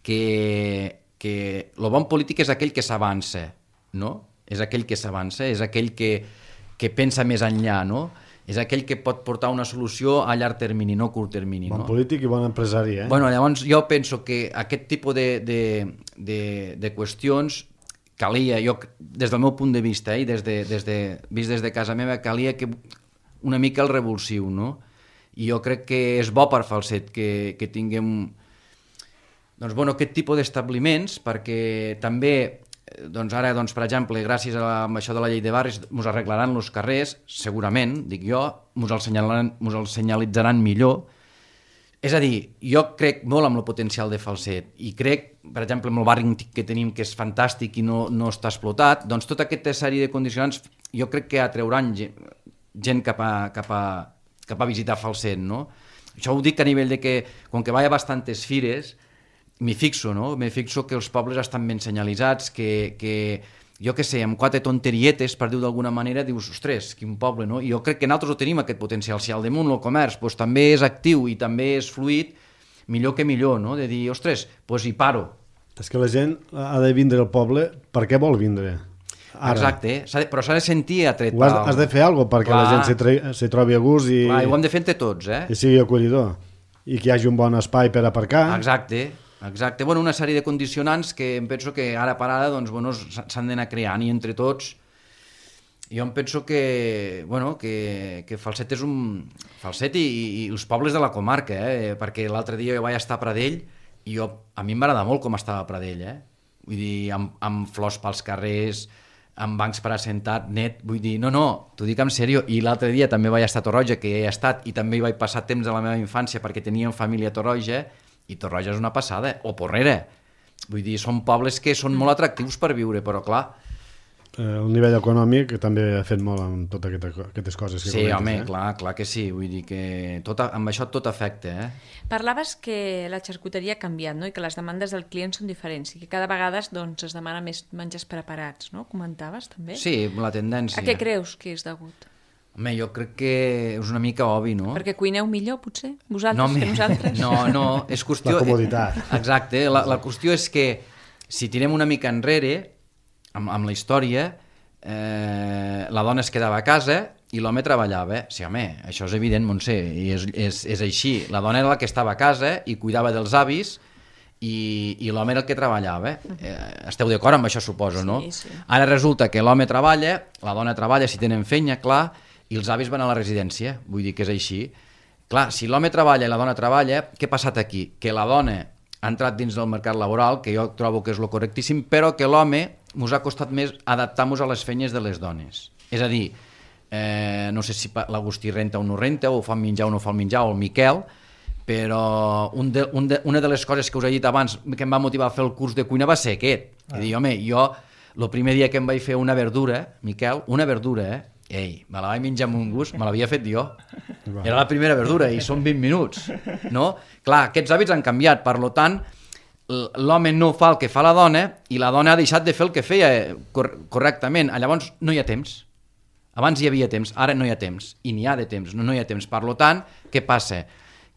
que el bon polític és aquell que s'avança, no? És aquell que s'avança, és aquell que pensa més enllà, no? És aquell que pot portar una solució a llarg termini, no a curt termini. Bon polític i bon empresari, eh? Bueno, llavors jo penso que aquest tipus de qüestions calia, jo des del meu punt de vista, i vist des de casa meva, calia que una mica el revulsiu, no? I jo crec que és bo per Falset que tinguem doncs, bueno, aquest tipus d'establiments, perquè també doncs ara, doncs, per exemple, gràcies a això de la llei de barris, ens arreglaran els carrers, segurament, dic jo, ens el senyalitzaran millor. És a dir, jo crec molt en el potencial de Falset i crec, per exemple, amb el barri que tenim, que és fantàstic i no està explotat, doncs tota aquesta sèrie de condicionants jo crec que atrauran gent cap a visitar Falset, no? Això ho dic a nivell de que, com que vaig a bastantes fires, m'hi fixo, no? M'hi fixo que els pobles estan ben senyalitzats, que jo què sé, amb 4 tonterietes, per dir-ho d'alguna manera, dius, ostres, quin poble, no? I jo crec que nosaltres ho tenim, aquest potencial. Si al damunt el comerç doncs, també és actiu i també és fluid, millor que millor, no? De dir, ostres, doncs hi paro. És que la gent ha de vindre al poble, per què vol vindre? Ara. Exacte, però s'ha de sentir atret. Has de fer alguna cosa perquè la gent se trobi a gust i ho hem de fer entre tots, i sigui acollidor. I que hi hagi un bon espai per aparcar. Exacte. Bueno, una sèrie de condicionants que em penso que ara per ara doncs, bueno, s'han d'anar creant i entre tots jo em penso que Falset és un... Falset i els pobles de la comarca, perquè l'altre dia jo vaig estar a Pradell i a mi m'agrada molt com estava a Pradell, vull dir, amb flors pels carrers, amb bancs per assentat, net, vull dir, no, t'ho dic en sèrio, i l'altre dia també vaig estar a Torroja, que hi he estat, i també hi vaig passar temps de la meva infància perquè teníem família a Torroja, i Torroja és una passada, o Porrera, vull dir, són pobles que són molt atractius per viure, però clar... El nivell econòmic també ha fet molt amb totes aquestes coses. Sí, home, clar que sí, vull dir que amb això tot afecta. Parlaves que la xarcuteria ha canviat, no? I que les demandes del client són diferents i que cada vegada doncs, es demana més menjars preparats, no? Comentaves també? Sí, la tendència. A què creus que és degut? Home, jo crec que és una mica obvi, no? Perquè cuineu millor, potser? Vosaltres que nosaltres? No, és qüestió... La comoditat. Exacte, la qüestió és que si tirem una mica enrere... Amb la història, la dona es quedava a casa i l'home treballava. Sí, home, això és evident, Montse, i és així. La dona era la que estava a casa i cuidava dels avis i l'home era el que treballava. Esteu d'acord amb això, suposo, no? Sí. Ara resulta que l'home treballa, la dona treballa si tenen feina, clar, i els avis van a la residència. Vull dir que és així. Clar, si l'home treballa i la dona treballa, què ha passat aquí? Que la dona ha entrat dins del mercat laboral, que jo trobo que és lo correctíssim, però que l'home ens ha costat més adaptar-nos a les feines de les dones. És a dir, no sé si l'Agustí renta o no renta, o fa menjar o no fa menjar, o el Miquel, però una de les coses que us he dit abans que em va motivar a fer el curs de cuina va ser aquest. És dir, home, jo, el primer dia que em vaig fer una verdura, Miquel, una verdura, me la vaig menjar amb un gust, me l'havia fet jo. Era la primera verdura i són 20 minuts, no? Clar, aquests hàbits han canviat, per tant, l'home no fa el que fa la dona i la dona ha deixat de fer el que feia correctament. Llavors no hi ha temps. Abans hi havia temps, ara no hi ha temps. I n'hi ha de temps, no hi ha temps. Per tant, què passa?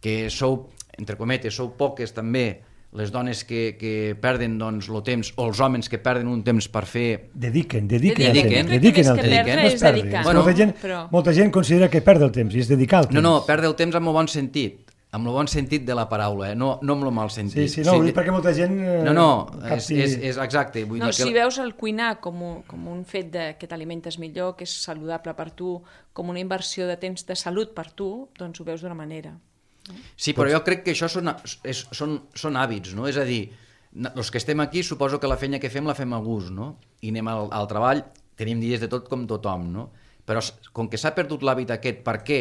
Que sou, entre cometes, sou poques també les dones que perden doncs, el temps, o els homes que perden un temps per fer... Dediquen el temps. Molta gent considera que perd el temps, i és dedicar el temps. No, perd el temps amb el bon sentit, amb el bon sentit de la paraula, no amb el mal sentit. Sí, no, perquè molta gent... és exacte. Vull dir que... Si veus el cuinar com un fet que t'alimentes millor, que és saludable per tu, com una inversió de temps de salut per tu, doncs ho veus d'una manera. Sí, però jo crec que això són hàbits, no? És a dir, els que estem aquí suposo que la feina que fem la fem a gust, no? I anem al treball, tenim dies de tot com tothom, no? Però com que s'ha perdut l'hàbit aquest, perquè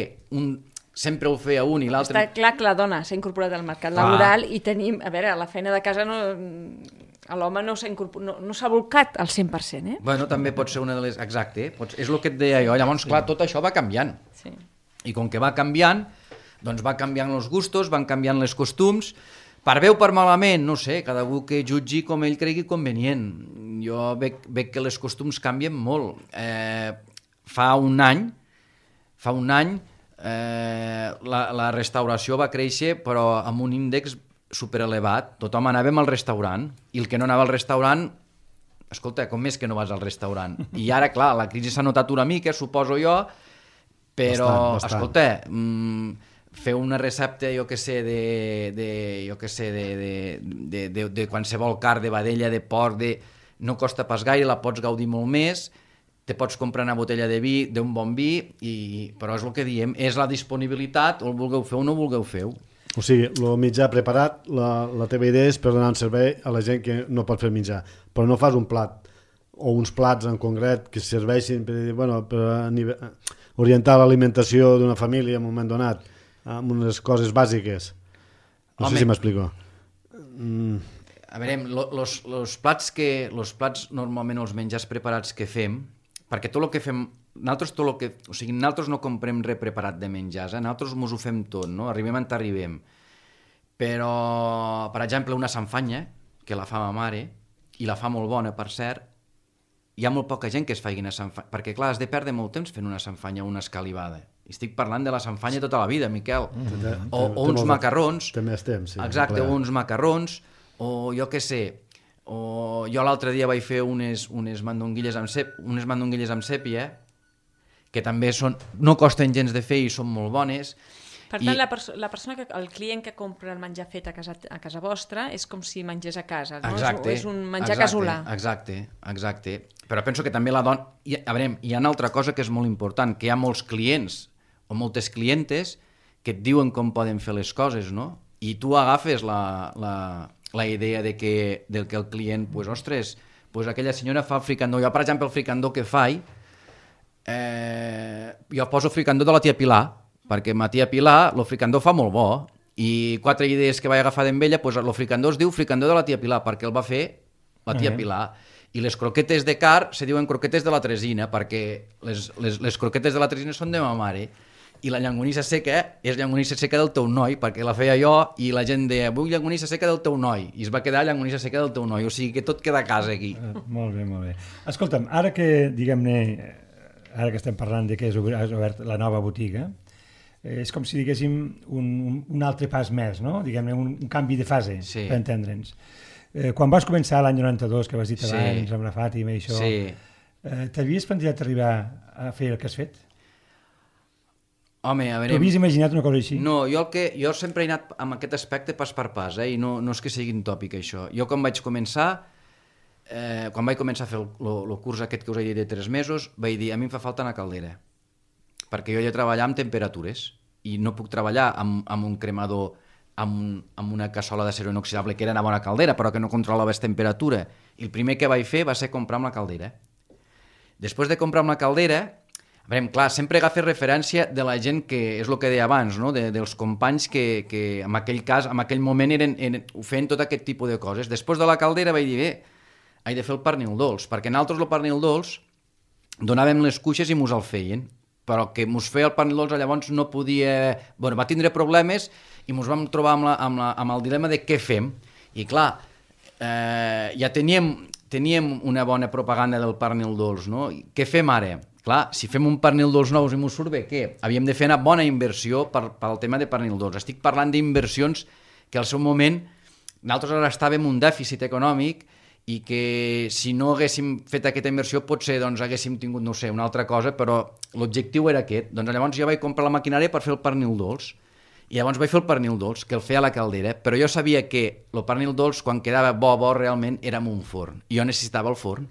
sempre ho feia un i l'altre... Està clar que la dona s'ha incorporat al mercat laboral i tenim... A veure, la feina de casa l'home no s'ha volcat al 100%, Bueno, també pot ser una de les... Exacte, és el que et deia jo. Llavors, clar, tot això va canviant. Sí. I com que va canviant... doncs va canviant els gustos, van canviant les costums, per bé o per malament, no sé, cada un que jutgi com ell cregui convenient. Jo veig que les costums canvien molt. Fa un any la restauració va créixer, però amb un índex superelevat. Tothom anàvem al restaurant, i el que no anava al restaurant, escolta, com és que no vas al restaurant? I ara, clar, la crisi s'ha notat una mica, suposo jo, però, bastant. Escolta... fer una recepta, jo que sé, de qualsevol carn, de vedella, de porc, no costa pas gaire, la pots gaudir molt més, te pots comprar una botella de vi, d'un bon vi, però és el que diem, és la disponibilitat, o el vulgueu fer o no vulgueu fer. O sigui, el mitjà preparat, la teva idea és per donar un servei a la gent que no pot fer menjar, però no fas un plat o uns plats en concret que serveixin per, orientar l'alimentació d'una família en un moment donat, amb unes coses bàsiques. No sé si m'explico. A veure, los plats normalment, els menjars preparats que fem, perquè tot el que fem, nosaltres no comprem res preparat de menjars, nosaltres mos ho fem tot, no? Arribem on arribem. Però, per exemple, una sanfanya, que la fa ma mare, i la fa molt bona, per cert, hi ha molt poca gent que es faci una sanfanya, perquè clar, has de perdre molt temps fent una sanfanya o una escalivada. Estic parlant de la sanfanya tota la vida, Miquel. O uns macarrons. Té més temps, sí. Exacte, o uns macarrons, o jo què sé, o jo l'altre dia vaig fer unes mandonguilles amb sèpia, que també no costen gens de fer i són molt bones. Per tant, la persona el client que compra el menjar fet a casa vostra és com si mengés a casa, no? Exacte, és un menjar casolà. Exacte. Però penso que també la dona... A veure, hi ha una altra cosa que és molt important, que hi ha molts clients o moltes clientes que et diuen com poden fer les coses, no? I tu agafes la idea de que el client, pues, ostres, pues aquella senyora fa el fricandó. Jo, per exemple, el fricandó que faig, jo poso fricandó de la tia Pilar, perquè ma tia Pilar, el fricandó fa molt bo, i 4 idees que vaig agafar d'en ella, pues, el fricandó es diu fricandó de la tia Pilar, perquè el va fer la tia Pilar. I les croquetes de car se diuen croquetes de la Tresina, perquè les croquetes de la Tresina són de ma mare, i la llangonissa seca és llangonissa seca del teu noi, perquè la feia jo, i la gent deia, vull llangonissa seca del teu noi, i es va quedar llangonissa seca del teu noi, o sigui que tot queda a casa aquí. Molt bé. Escolta'm, ara que, diguem-ne, ara que estem parlant de que has obert la nova botiga, és com si diguéssim un altre pas més, no? Diguem-ne, un canvi de fase, sí, per entendre'ns. Quan vas començar l'any 92, que vas dir abans amb la Fàtima i això, t'havies plantejat arribar a fer el que has fet? Home, a veure... T'ho havies imaginat una cosa així? No, jo sempre he anat amb aquest aspecte pas per pas, i no és que sigui un tòpic això. Jo quan vaig començar a fer el curs aquest que us he dit de 3 mesos, vaig dir, a mi em fa falta una caldera, perquè jo he de treballar amb temperatures i no puc treballar amb un cremador, amb una cassola d'acero inoxidable, que era una bona caldera, però que no controlava la temperatura. I el primer que vaig fer va ser comprar amb la caldera. Després de comprar amb la caldera, a veure, clar, sempre agafes referència de la gent que, és el que deia abans, no? Dels companys que en aquell cas, en aquell moment feien tot aquest tipus de coses. Després de la caldera vaig dir, he de fer el pernil dolç, perquè nosaltres el pernil dolç donàvem les cuixes i mos el feien, però que mos feia el pernil dolç llavors no podia... Bueno, va tindre problemes i mos vam trobar amb el dilema de què fem. I clar, ja teníem una bona propaganda del pernil dolç, no? Què fem ara? Clar, si fem un pernil dolç nous i mos surt bé, què? Havíem de fer una bona inversió pel tema de pernil dolç. Estic parlant d'inversions que al seu moment nosaltres ara estàvem un dèficit econòmic i que si no haguéssim fet aquesta inversió potser haguéssim tingut, no sé, una altra cosa, però l'objectiu era aquest. Doncs llavors jo vaig comprar la maquinària per fer el pernil dolç i llavors vaig fer el pernil dolç, que el feia a la caldera, però jo sabia que el pernil dolç, quan quedava bo realment, era en un forn. I jo necessitava el forn.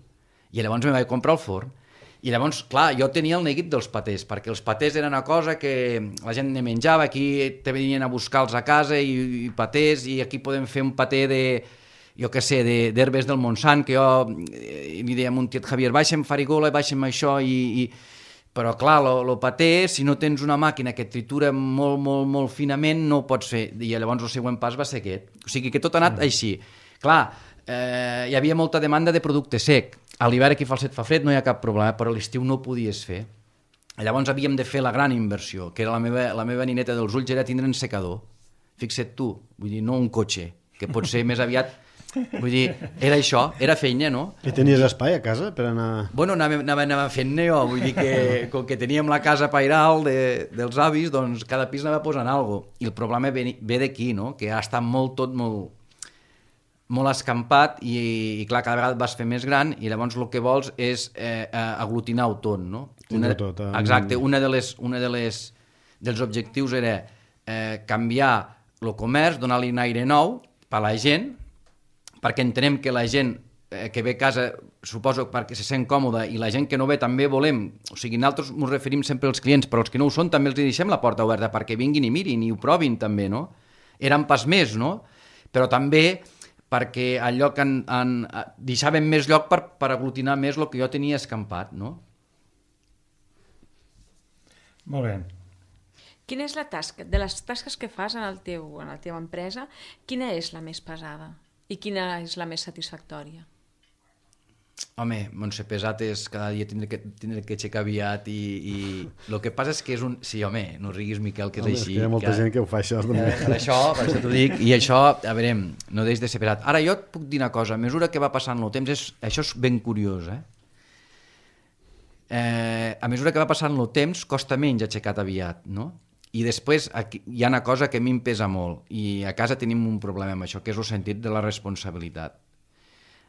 I llavors me vaig comprar el forn. I llavors, clar, jo tenia el neguit dels patés, perquè els patés eren una cosa que la gent ne menjava, aquí te venien a buscar-los a casa i patés, i aquí podem fer un paté de, jo què sé, d'herbes del Montsant, que jo li deia a mon tiet Javier, baixa'm farigola, baixa'm això, però clar, el paté, si no tens una màquina que tritura molt, molt, molt finament, no ho pots fer, i llavors el següent pas va ser aquest. O sigui que tot ha anat així. Clar, hi havia molta demanda de producte sec. A l'hivern aquí fa el set fa fred, no hi ha cap problema, però a l'estiu no ho podies fer. Llavors havíem de fer la gran inversió, que era la meva nineta dels ulls, era tindre un secador. Fixa't tu, vull dir, no un cotxe, que pot ser més aviat... Vull dir, era això, era feina, no? I tenies espai a casa per anar... Bueno, anava fent-ne jo, vull dir que com que teníem la casa pairal dels avis, doncs cada pis anava posant alguna cosa. I el problema ve d'aquí, no? Que ha estat tot molt escampat i clar, cada vegada vas fer més gran i llavors el que vols és aglutinar-ho tot, no? Exacte, dels objectius era canviar el comerç, donar-li un aire nou per a la gent, perquè entenem que la gent que ve a casa, suposo perquè se sent còmoda, i la gent que no ve també volem, o sigui, nosaltres ens referim sempre als clients, però els que no ho són també els deixem la porta oberta perquè vinguin i mirin i ho provin també, no? Era un pas més, no? Però també perquè al lloc deixàvem més lloc per aglutinar més el que jo tenia escampat, no? Molt bé. Quina és la tasca, de les tasques que fas en la teva empresa, quina és la més pesada i quina és la més satisfactòria? Home, Montse, pesat és cada dia tindre que aixecar aviat i el que passa és que és un... Sí, home, no riguis, Miquel, que és així. És que hi ha molta gent que ho fa, això. Per això t'ho dic, i això, a veure, no deix de ser pesat. Ara, jo et puc dir una cosa, a mesura que va passant el temps, això és ben curiós, a mesura que va passant el temps, costa menys aixecar aviat, no? I després hi ha una cosa que a mi em pesa molt, i a casa tenim un problema amb això, que és el sentit de la responsabilitat.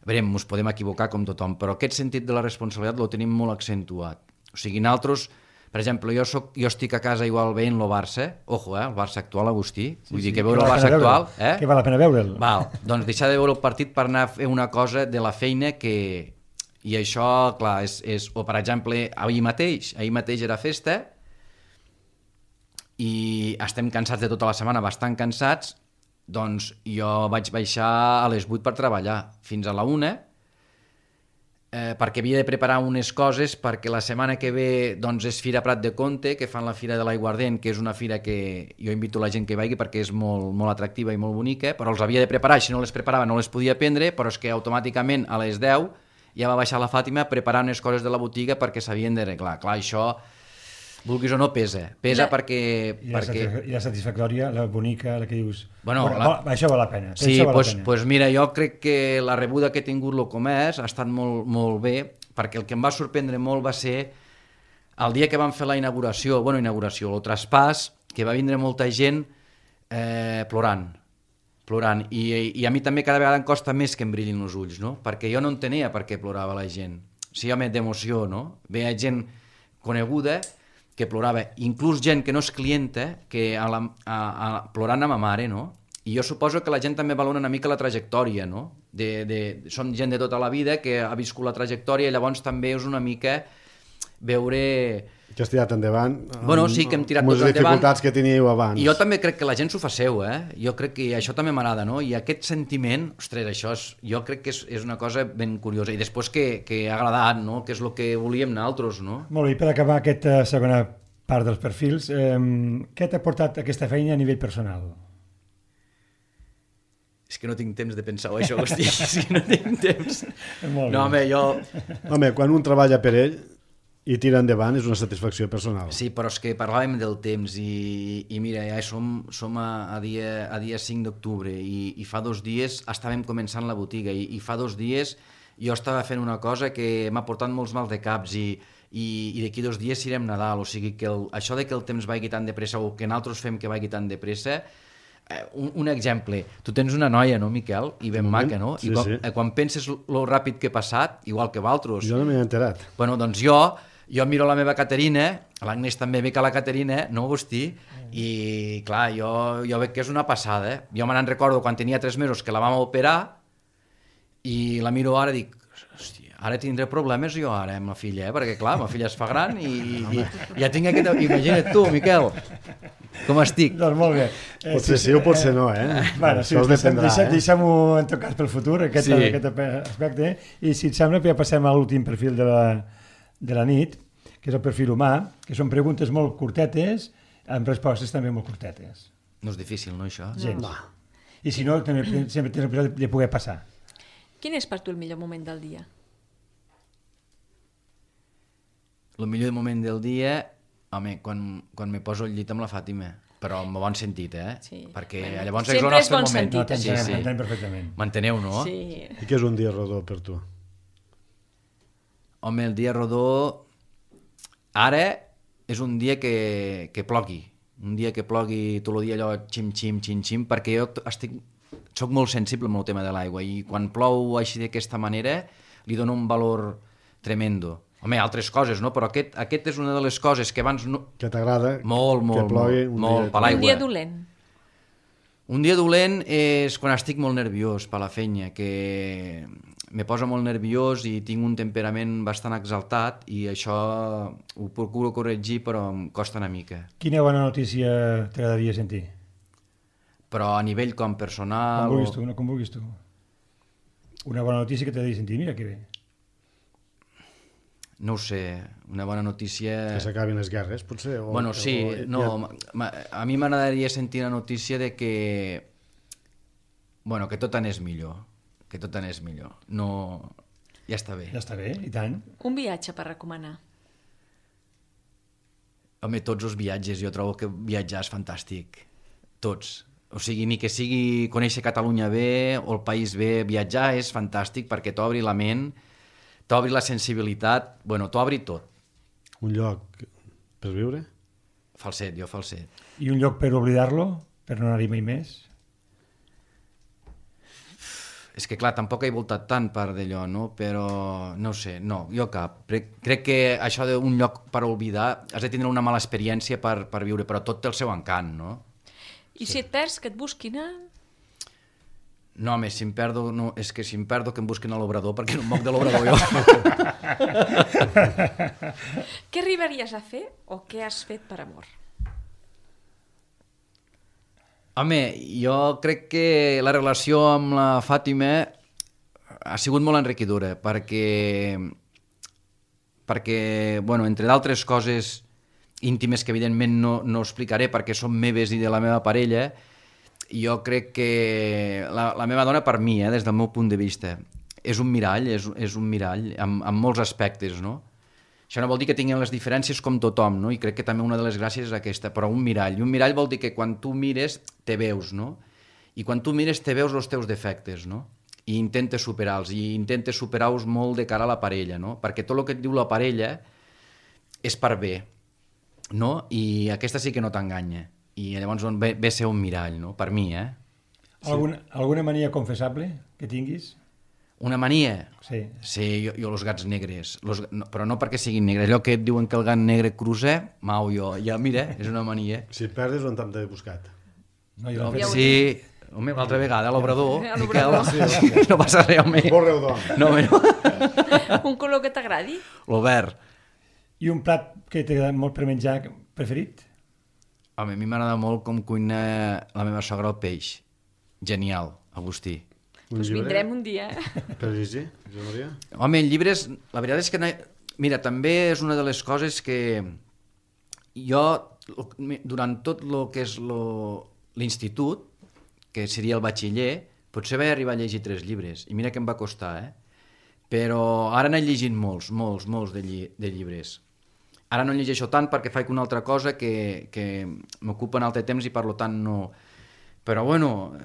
A veure, ens podem equivocar com tothom, però aquest sentit de la responsabilitat el tenim molt accentuat. O sigui, nosaltres, per exemple, jo estic a casa igual veient el Barça, ojo, el Barça actual, Agustí, vull dir que veure el Barça actual... Que val la pena veure'l. Val, doncs deixar de veure el partit per anar a fer una cosa de la feina que... I això, clar, és... O, per exemple, ahir mateix era festa i estem cansats de tota la setmana, bastant cansats. Doncs jo vaig baixar a les 8 per treballar fins a la 1 perquè havia de preparar unes coses perquè la setmana que ve doncs, és Fira Prat de Comte, que fan la Fira de l'Aiguardent, que és una fira que jo invito la gent que vagi perquè és molt, molt atractiva i molt bonica, però els havia de preparar, si no les preparava no les podia prendre, però és que automàticament a les 10 ja va baixar la Fàtima a preparar unes coses de la botiga perquè s'havien d'arreglar. Clar, això... vulguis o no, pesa perquè... I la satisfactòria, la bonica, la que dius... Bueno, això val la pena. Sí, doncs mira, jo crec que la rebuda que he tingut el comerç ha estat molt, molt bé, perquè el que em va sorprendre molt va ser el dia que vam fer la inauguració, el traspàs, que va vindre molta gent plorant. I a mi també cada vegada em costa més que em brillin els ulls, no? Perquè jo no entenia per què plorava la gent. Sí, home, d'emoció, no? Veia gent coneguda que plorava, inclús gent que no és clienta, que plorant a ma mare, no? I jo suposo que la gent també valora una mica la trajectòria, no? Som gent de tota la vida que ha viscut la trajectòria i llavors també és una mica veure... Que has tirat endavant sí, que hem tirat amb les endavant. dificultats que teníeu abans. I jo també crec que la gent s'ho fa seu, Jo crec que això també m'agrada, no? I aquest sentiment, ostres, això jo crec que és una cosa ben curiosa. I després que ha agradat, no? Que és el que volíem nosaltres, no? Molt bé, per acabar aquesta segona part dels perfils, què t'ha portat aquesta feina a nivell personal? És que no tinc temps de pensar això, Agustí, és que no tinc temps. No, home, Home, quan un treballa per ell i tira endavant és una satisfacció personal. Sí, però és que parlàvem del temps i mira, ja som a dia 5 d'octubre i fa 2 dies estàvem començant la botiga i fa 2 dies jo estava fent una cosa que m'ha portat molts mal de caps i d'aquí 2 dies serem Nadal, o sigui que això de que el temps vagi tan de pressa o que nosaltres fem que vagi tan de pressa. Un exemple, tu tens una noia, no, Miquel? I ben maca, no? Sí, quan penses lo ràpid que he passat, igual que vosaltres. Jo no m'he enterat. Bueno, doncs jo miro la meva Caterina, l'Agnès també ve que la Caterina, no, Agustí? I clar, jo veig que és una passada. Jo me n'en recordo quan tenia 3 mesos que la vam operar i la miro ara i dic, hòstia, ara tindré problemes jo ara amb la filla, perquè clar, la filla es fa gran i ja tinc aquest... Imagina't tu, Miquel, com estic. Doncs molt bé. Potser sí o potser no, Bueno, sí, deixem-ho en tot cas pel futur, aquest aspecte, i si et sembla ja passem a l'últim perfil de la nit, que és el perfil humà, que són preguntes molt curtetes, amb respostes també molt curtetes. No és difícil, no, això? Gens. I si no, també sempre tens l'oportunitat de poder passar. Quin és per tu el millor moment del dia? El millor moment del dia, home, quan me poso al llit amb la Fàtima, però en bon sentit, Sí. Perquè bueno, llavors és el nostre moment. Sentit, no, t'entenem perfectament. M'enteneu, no? Sí. I què és un dia rodó per tu? Home, el dia rodó... Ara és un dia que plogui. Un dia que plogui tot el dia allò xim-xim, xim-xim, perquè jo soc molt sensible amb el tema de l'aigua i quan plou així d'aquesta manera li dono un valor tremendo. Home, altres coses, no? Però aquest és una de les coses que abans no... Que t'agrada molt, que plogui molt per l'aigua. Un dia dolent. Un dia dolent és quan estic molt nerviós per la feina, que me posa molt nerviós i tinc un temperament bastant exaltat i això ho procuro corregir, però em costa una mica. Quina bona notícia t'agradaria sentir? Però a nivell com personal... Com vulguis tu. Una bona notícia que t'ha de sentir, mira que bé. No ho sé, una bona notícia... Que s'acabin les guerres, potser? Bueno, sí, no, a mi m'agradaria sentir la notícia de que... Bueno, que tot anés millor. Que tot anés millor. No... Ja està bé. Ja està bé, i tant. Un viatge per recomanar. Home, tots els viatges, jo trobo que viatjar és fantàstic. Tots. O sigui, ni que sigui conèixer Catalunya bé o el país bé, viatjar és fantàstic perquè t'obri la ment, t'obri la sensibilitat, bueno, t'obri tot. Un lloc per viure? Falset, jo falset. I un lloc per oblidar-lo? Per no anar-hi mai més? És que, clar, tampoc he voltat tant per d'allò, no? Però, no sé, no, jo cap. Crec que això d'un lloc per oblidar has de tindre una mala experiència per viure, però tot té el seu encant, no? I si et perds, que et busquin a... No, home, si em perdo, no, és que si em perdo que em busquin a l'obrador, perquè no em moc de l'obrador jo. Què arribaries a fer o què has fet per amor? Home, jo crec que la relació amb la Fàtima ha sigut molt enriquidora, perquè bueno, entre d'altres coses íntimes que evidentment no explicaré perquè són meves i de la meva parella, jo crec que la meva dona per mi, des del meu punt de vista, és un mirall, és un mirall en molts aspectes, no? Això no vol dir que tinguin les diferències com tothom, no? I crec que també una de les gràcies és aquesta, però un mirall. I un mirall vol dir que quan tu mires te veus, no? I quan tu mires te veus els teus defectes, no? I intentes superar-los, i intentes superar-los molt de cara a la parella, no? Perquè tot el que et diu la parella és per bé, no? I aquesta sí que no t'enganya. I llavors ve ser un mirall, no? Per mi, Alguna mania confessable que tinguis? Una mania? Sí. Sí, jo els gats negres, però no perquè siguin negres. Allò que et diuen que el gat negre cruza, mau jo, ja mira, és una mania. Si et perdes, on t'hem buscat? No, jo fet... Sí, home, l'altra vegada, a l'obrador, A l'obrador. Miquel, no passa res, home. Molt reudor. No, home, no. Un color que t'agradi? L'Obert. I un plat que t'agrada molt per menjar preferit? Home, a mi m'agrada molt com cuina la meva sogra el peix. Genial, Agustí. Doncs vindrem un dia, Per llegir, Josep Maria? Home, en llibres, la veritat és que... Mira, també és una de les coses que jo, durant tot el que és l'institut, que seria el batxiller, potser vaig arribar a llegir 3 llibres, i mira que em va costar, Però ara n'he llegit molts de llibres. Ara no en llegeixo tant perquè faig una altra cosa que m'ocupa en altre temps i per tant no... Però bueno,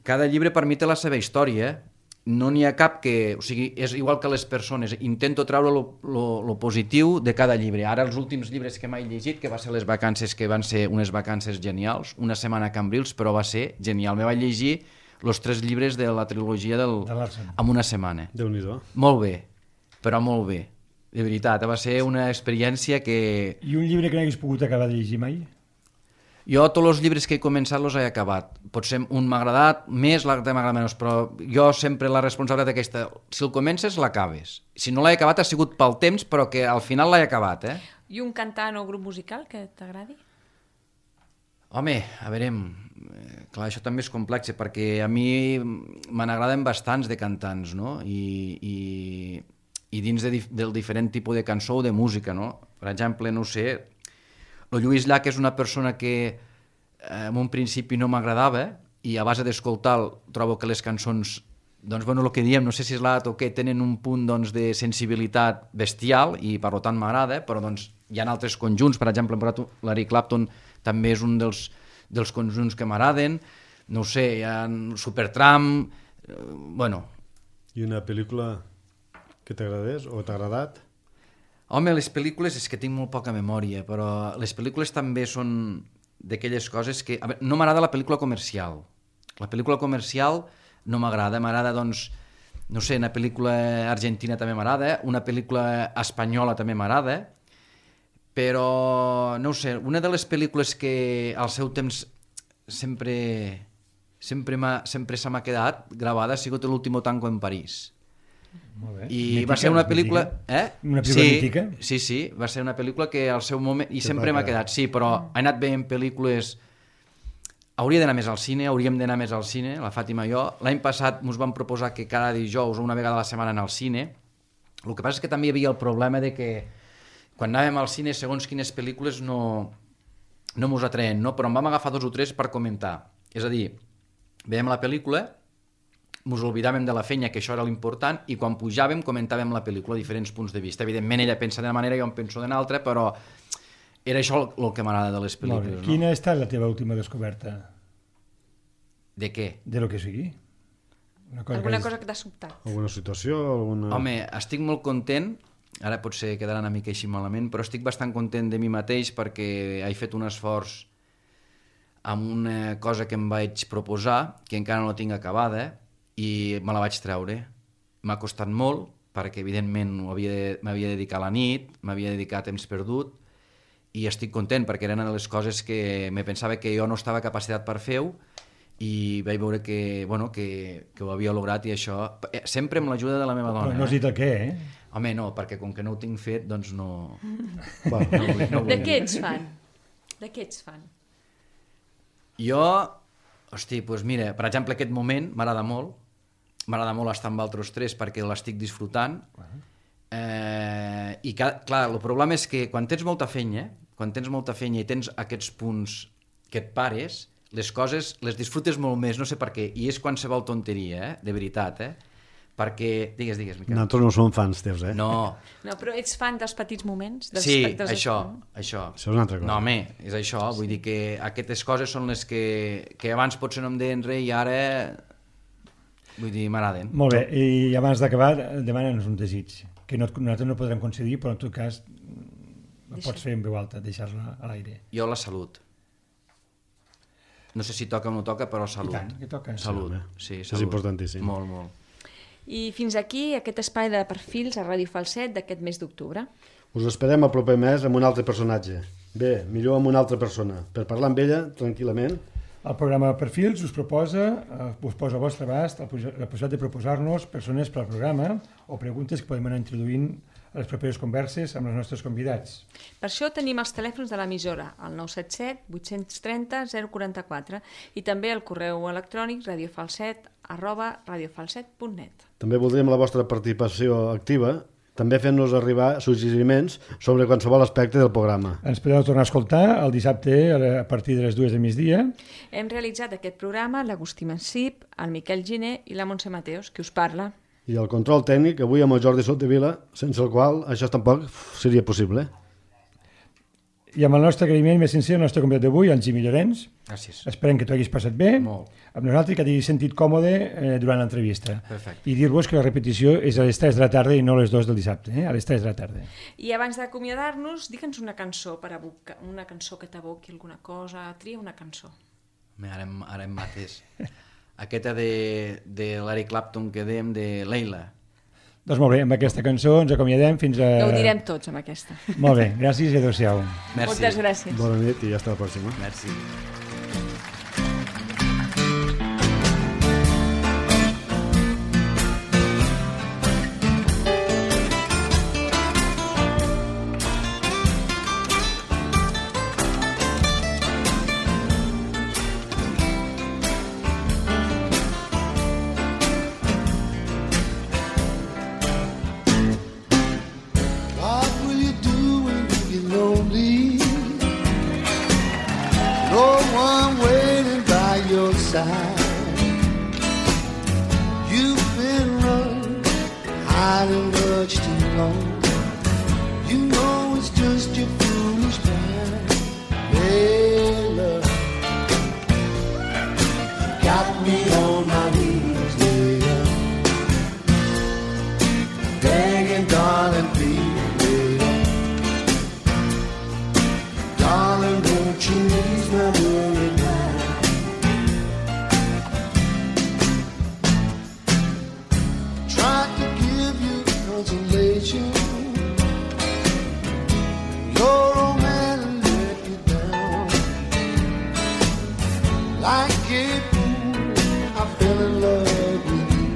cada llibre per mi té la seva història, no n'hi ha cap que... O sigui, és igual que les persones, intento treure lo positiu de cada llibre. Ara els últims llibres que m'he llegit, que va ser les vacances, que van ser unes vacances genials, una setmana a Cambrils, però va ser genial. Me vaig llegir els 3 llibres de la trilogia en una setmana. Déu-n'hi-do. Molt bé, però molt bé. De veritat, va ser una experiència que... I un llibre que no hagués pogut acabar de llegir mai? Jo tots els llibres que he començat els he acabat. Potser un m'ha agradat més, l'altre m'ha agradat menys, però jo sempre la responsabilitat aquesta, si el comences, l'acabes. Si no l'he acabat ha sigut pel temps, però que al final l'he acabat, I un cantant o grup musical que t'agradi? Home, a veure, clar, això també és complex, perquè a mi me n'agraden bastants de cantants, no? I dins del diferent tipus de cançó o de música, no? Per exemple, no ho sé, el Lluís Llach és una persona que en un principi no m'agradava i a base d'escoltar trobo que les cançons, doncs, bueno, el que diem, no sé si és l'art o què, tenen un punt doncs, de sensibilitat bestial i per tant m'agrada, però doncs, hi ha altres conjunts, per exemple, l'Eric Clapton també és un dels conjunts que m'agraden, no ho sé, hi ha Supertramp, bueno... I una pel·lícula que t'agradés o t'ha agradat? Home, les pel·lícules és que tinc molt poca memòria, però les pel·lícules també són d'aquelles coses que... A veure, no m'agrada la pel·lícula comercial. La pel·lícula comercial no m'agrada, doncs, no sé, una pel·lícula argentina també m'agrada, una pel·lícula espanyola també m'agrada, però, no ho sé, una de les pel·lícules que al seu temps sempre se m'ha quedat gravada ha sigut l'último tango en París. Molt bé. I Mítica, va ser una pel·lícula... Una pel·lícula mítica? Sí, va ser una pel·lícula que al seu moment... I sempre m'ha quedat, sí, però he anat veient pel·lícules hauria d'anar més al cine, hauríem d'anar més al cine, la Fàtima i jo. L'any passat ens van proposar que cada dijous o una vegada a la setmana anar al cine. El que passa és que també hi havia el problema de que quan anàvem al cine, segons quines pel·lícules no mos atreien, no? Però en vam agafar 2 o 3 per comentar. És a dir, veiem la pel·lícula, mos oblidàvem de la feina, que això era l'important, i quan pujàvem comentàvem la pel·lícula a diferents punts de vista. Evidentment ella pensa d'una manera, jo em penso d'una altra, però era això el que m'agrada de les pel·lícules. No? Quina ha estat la teva última descoberta? De què? De lo que sigui. Alguna cosa que t'ha sobtat? Alguna situació? Home, estic molt content, ara potser quedarà una mica així malament, però estic bastant content de mi mateix perquè he fet un esforç amb una cosa que em vaig proposar, que encara no la tinc acabada, i me la vaig treure. M'ha costat molt, perquè evidentment m'havia de dedicar a la nit, m'havia de dedicar a temps perdut, i estic content, perquè era una de les coses que me pensava que jo no estava capacitat per fer-ho, i vaig veure que ho havia lograt, i això sempre amb l'ajuda de la meva dona. Però no has dit el què, Home, no, perquè com que no ho tinc fet, doncs no... De què ets fan? Jo, doncs mira, per exemple, aquest moment m'agrada molt estar amb altres 3 perquè l'estic disfrutant, i clar, el problema és que quan tens molta feina i tens aquests punts que et pares, les coses les disfrutes molt més, no sé per què, i és qualsevol tonteria, de veritat, perquè... Digues, Miquel. Nosaltres no som fans teus, No, però ets fan dels petits moments? Sí, això. Això és una altra cosa. No, home, és això, vull dir que aquestes coses són les que abans potser no em deien res i ara, vull dir, m'agraden. Molt bé, i abans d'acabar, demana'ns un desig, que nosaltres no podrem concedir, però en tot cas ho pots fer en veu alta, deixar-la a l'aire. Jo la salut. No sé si toca o no toca, però salut. I tant, que toca. Salut, sí, salut. És importantíssim. Molt, molt. I fins aquí aquest espai de perfils a Ràdio Falset d'aquest mes d'octubre. Us esperem el proper mes amb un altre personatge. Bé, millor amb una altra persona, per parlar amb ella tranquil·lament. El programa Perfils us posa a vostre abast la possibilitat de proposar-nos persones per al programa o preguntes que podem anar introduint a les properes converses amb els nostres convidats. Per això tenim els telèfons de l'emissora, el 977 830 044, i també el correu electrònic radiofalset@radiofalset.net. També voldríem la vostra participació activa, també fent-nos arribar suggeriments sobre qualsevol aspecte del programa. Ens podeu tornar a escoltar el dissabte a partir de les 2 del migdia. Hem realitzat aquest programa l'Agustí Massip, el Miquel Giner i la Montse Mateos, qui us parla. I el control tècnic avui amb el Jordi Soldevila, sense el qual això tampoc seria possible. I amb el nostre agraïment més sincer al nostre convidat d'avui, en Jimmy Llorenç. Gràcies. Esperem que t'ho haguis passat bé. Molt. Amb nosaltres, que t'hagis sentit còmode durant l'entrevista. Perfecte. I dir-vos que la repetició és a les 3 de la tarda i no a les 2 del dissabte, a les 3 de la tarda. I abans d'acomiadar-nos, digue'ns una cançó una cançó que t'evoqui alguna cosa. Tria una cançó. Ara em mates. Aquesta de Larry Clapton que dèiem de Leila. Doncs molt bé, amb aquesta cançó ens acomiadem fins a... Ja ho direm tots amb aquesta. Molt bé, gràcies i adéu-siau. Merci. Moltes gràcies. Bona nit i hasta la pròxima. Merci. You've been running, hiding much too long. You know it's just your foolish pride. Hey, love, got me on my knees, yeah. Begging, darling, please, yeah. Darling, don't you ease my worried mind. Your old man let you down. Like a fool, I fell in love with you.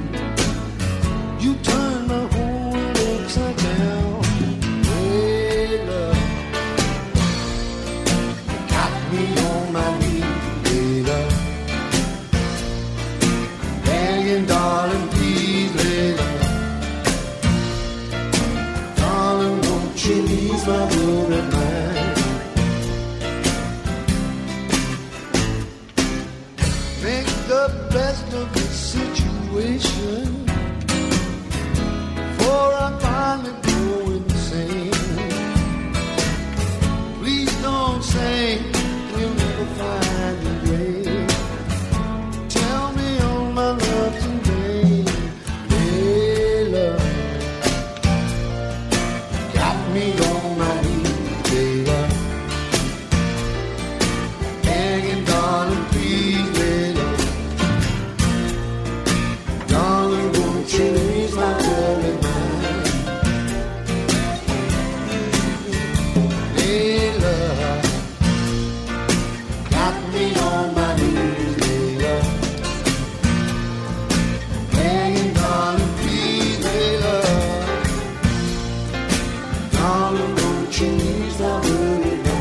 You turned my whole world upside down. Hey, love, got me on my knees, hey, love. the best of the situation, for I finally go insane. Please don't say we'll never find a way. Tell me all my love today, Layla. Got me on my knees, Layla. Begging, darling, please, Layla. Darling, won't you ease my worry mind? Layla. Got me on my knees, Layla. Begging, darling, please, Layla. Darling, won't you ease my worry mind?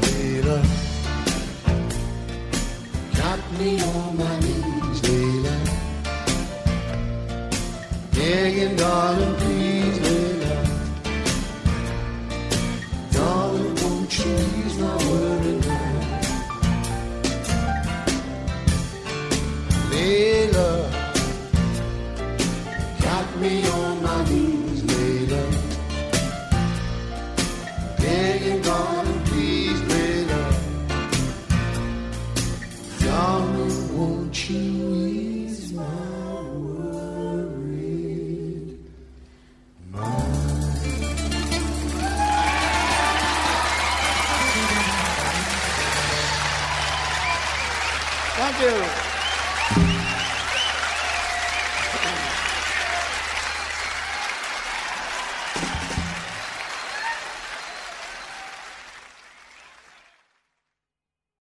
Layla, got me on my knees, Layla. Begging, darling, please, Layla. Darling, won't you ease my worry mind? Layla, got me on my knees, Layla. Begging, darling, please, Layla. Darling, won't you ease my worried mind? Thank you.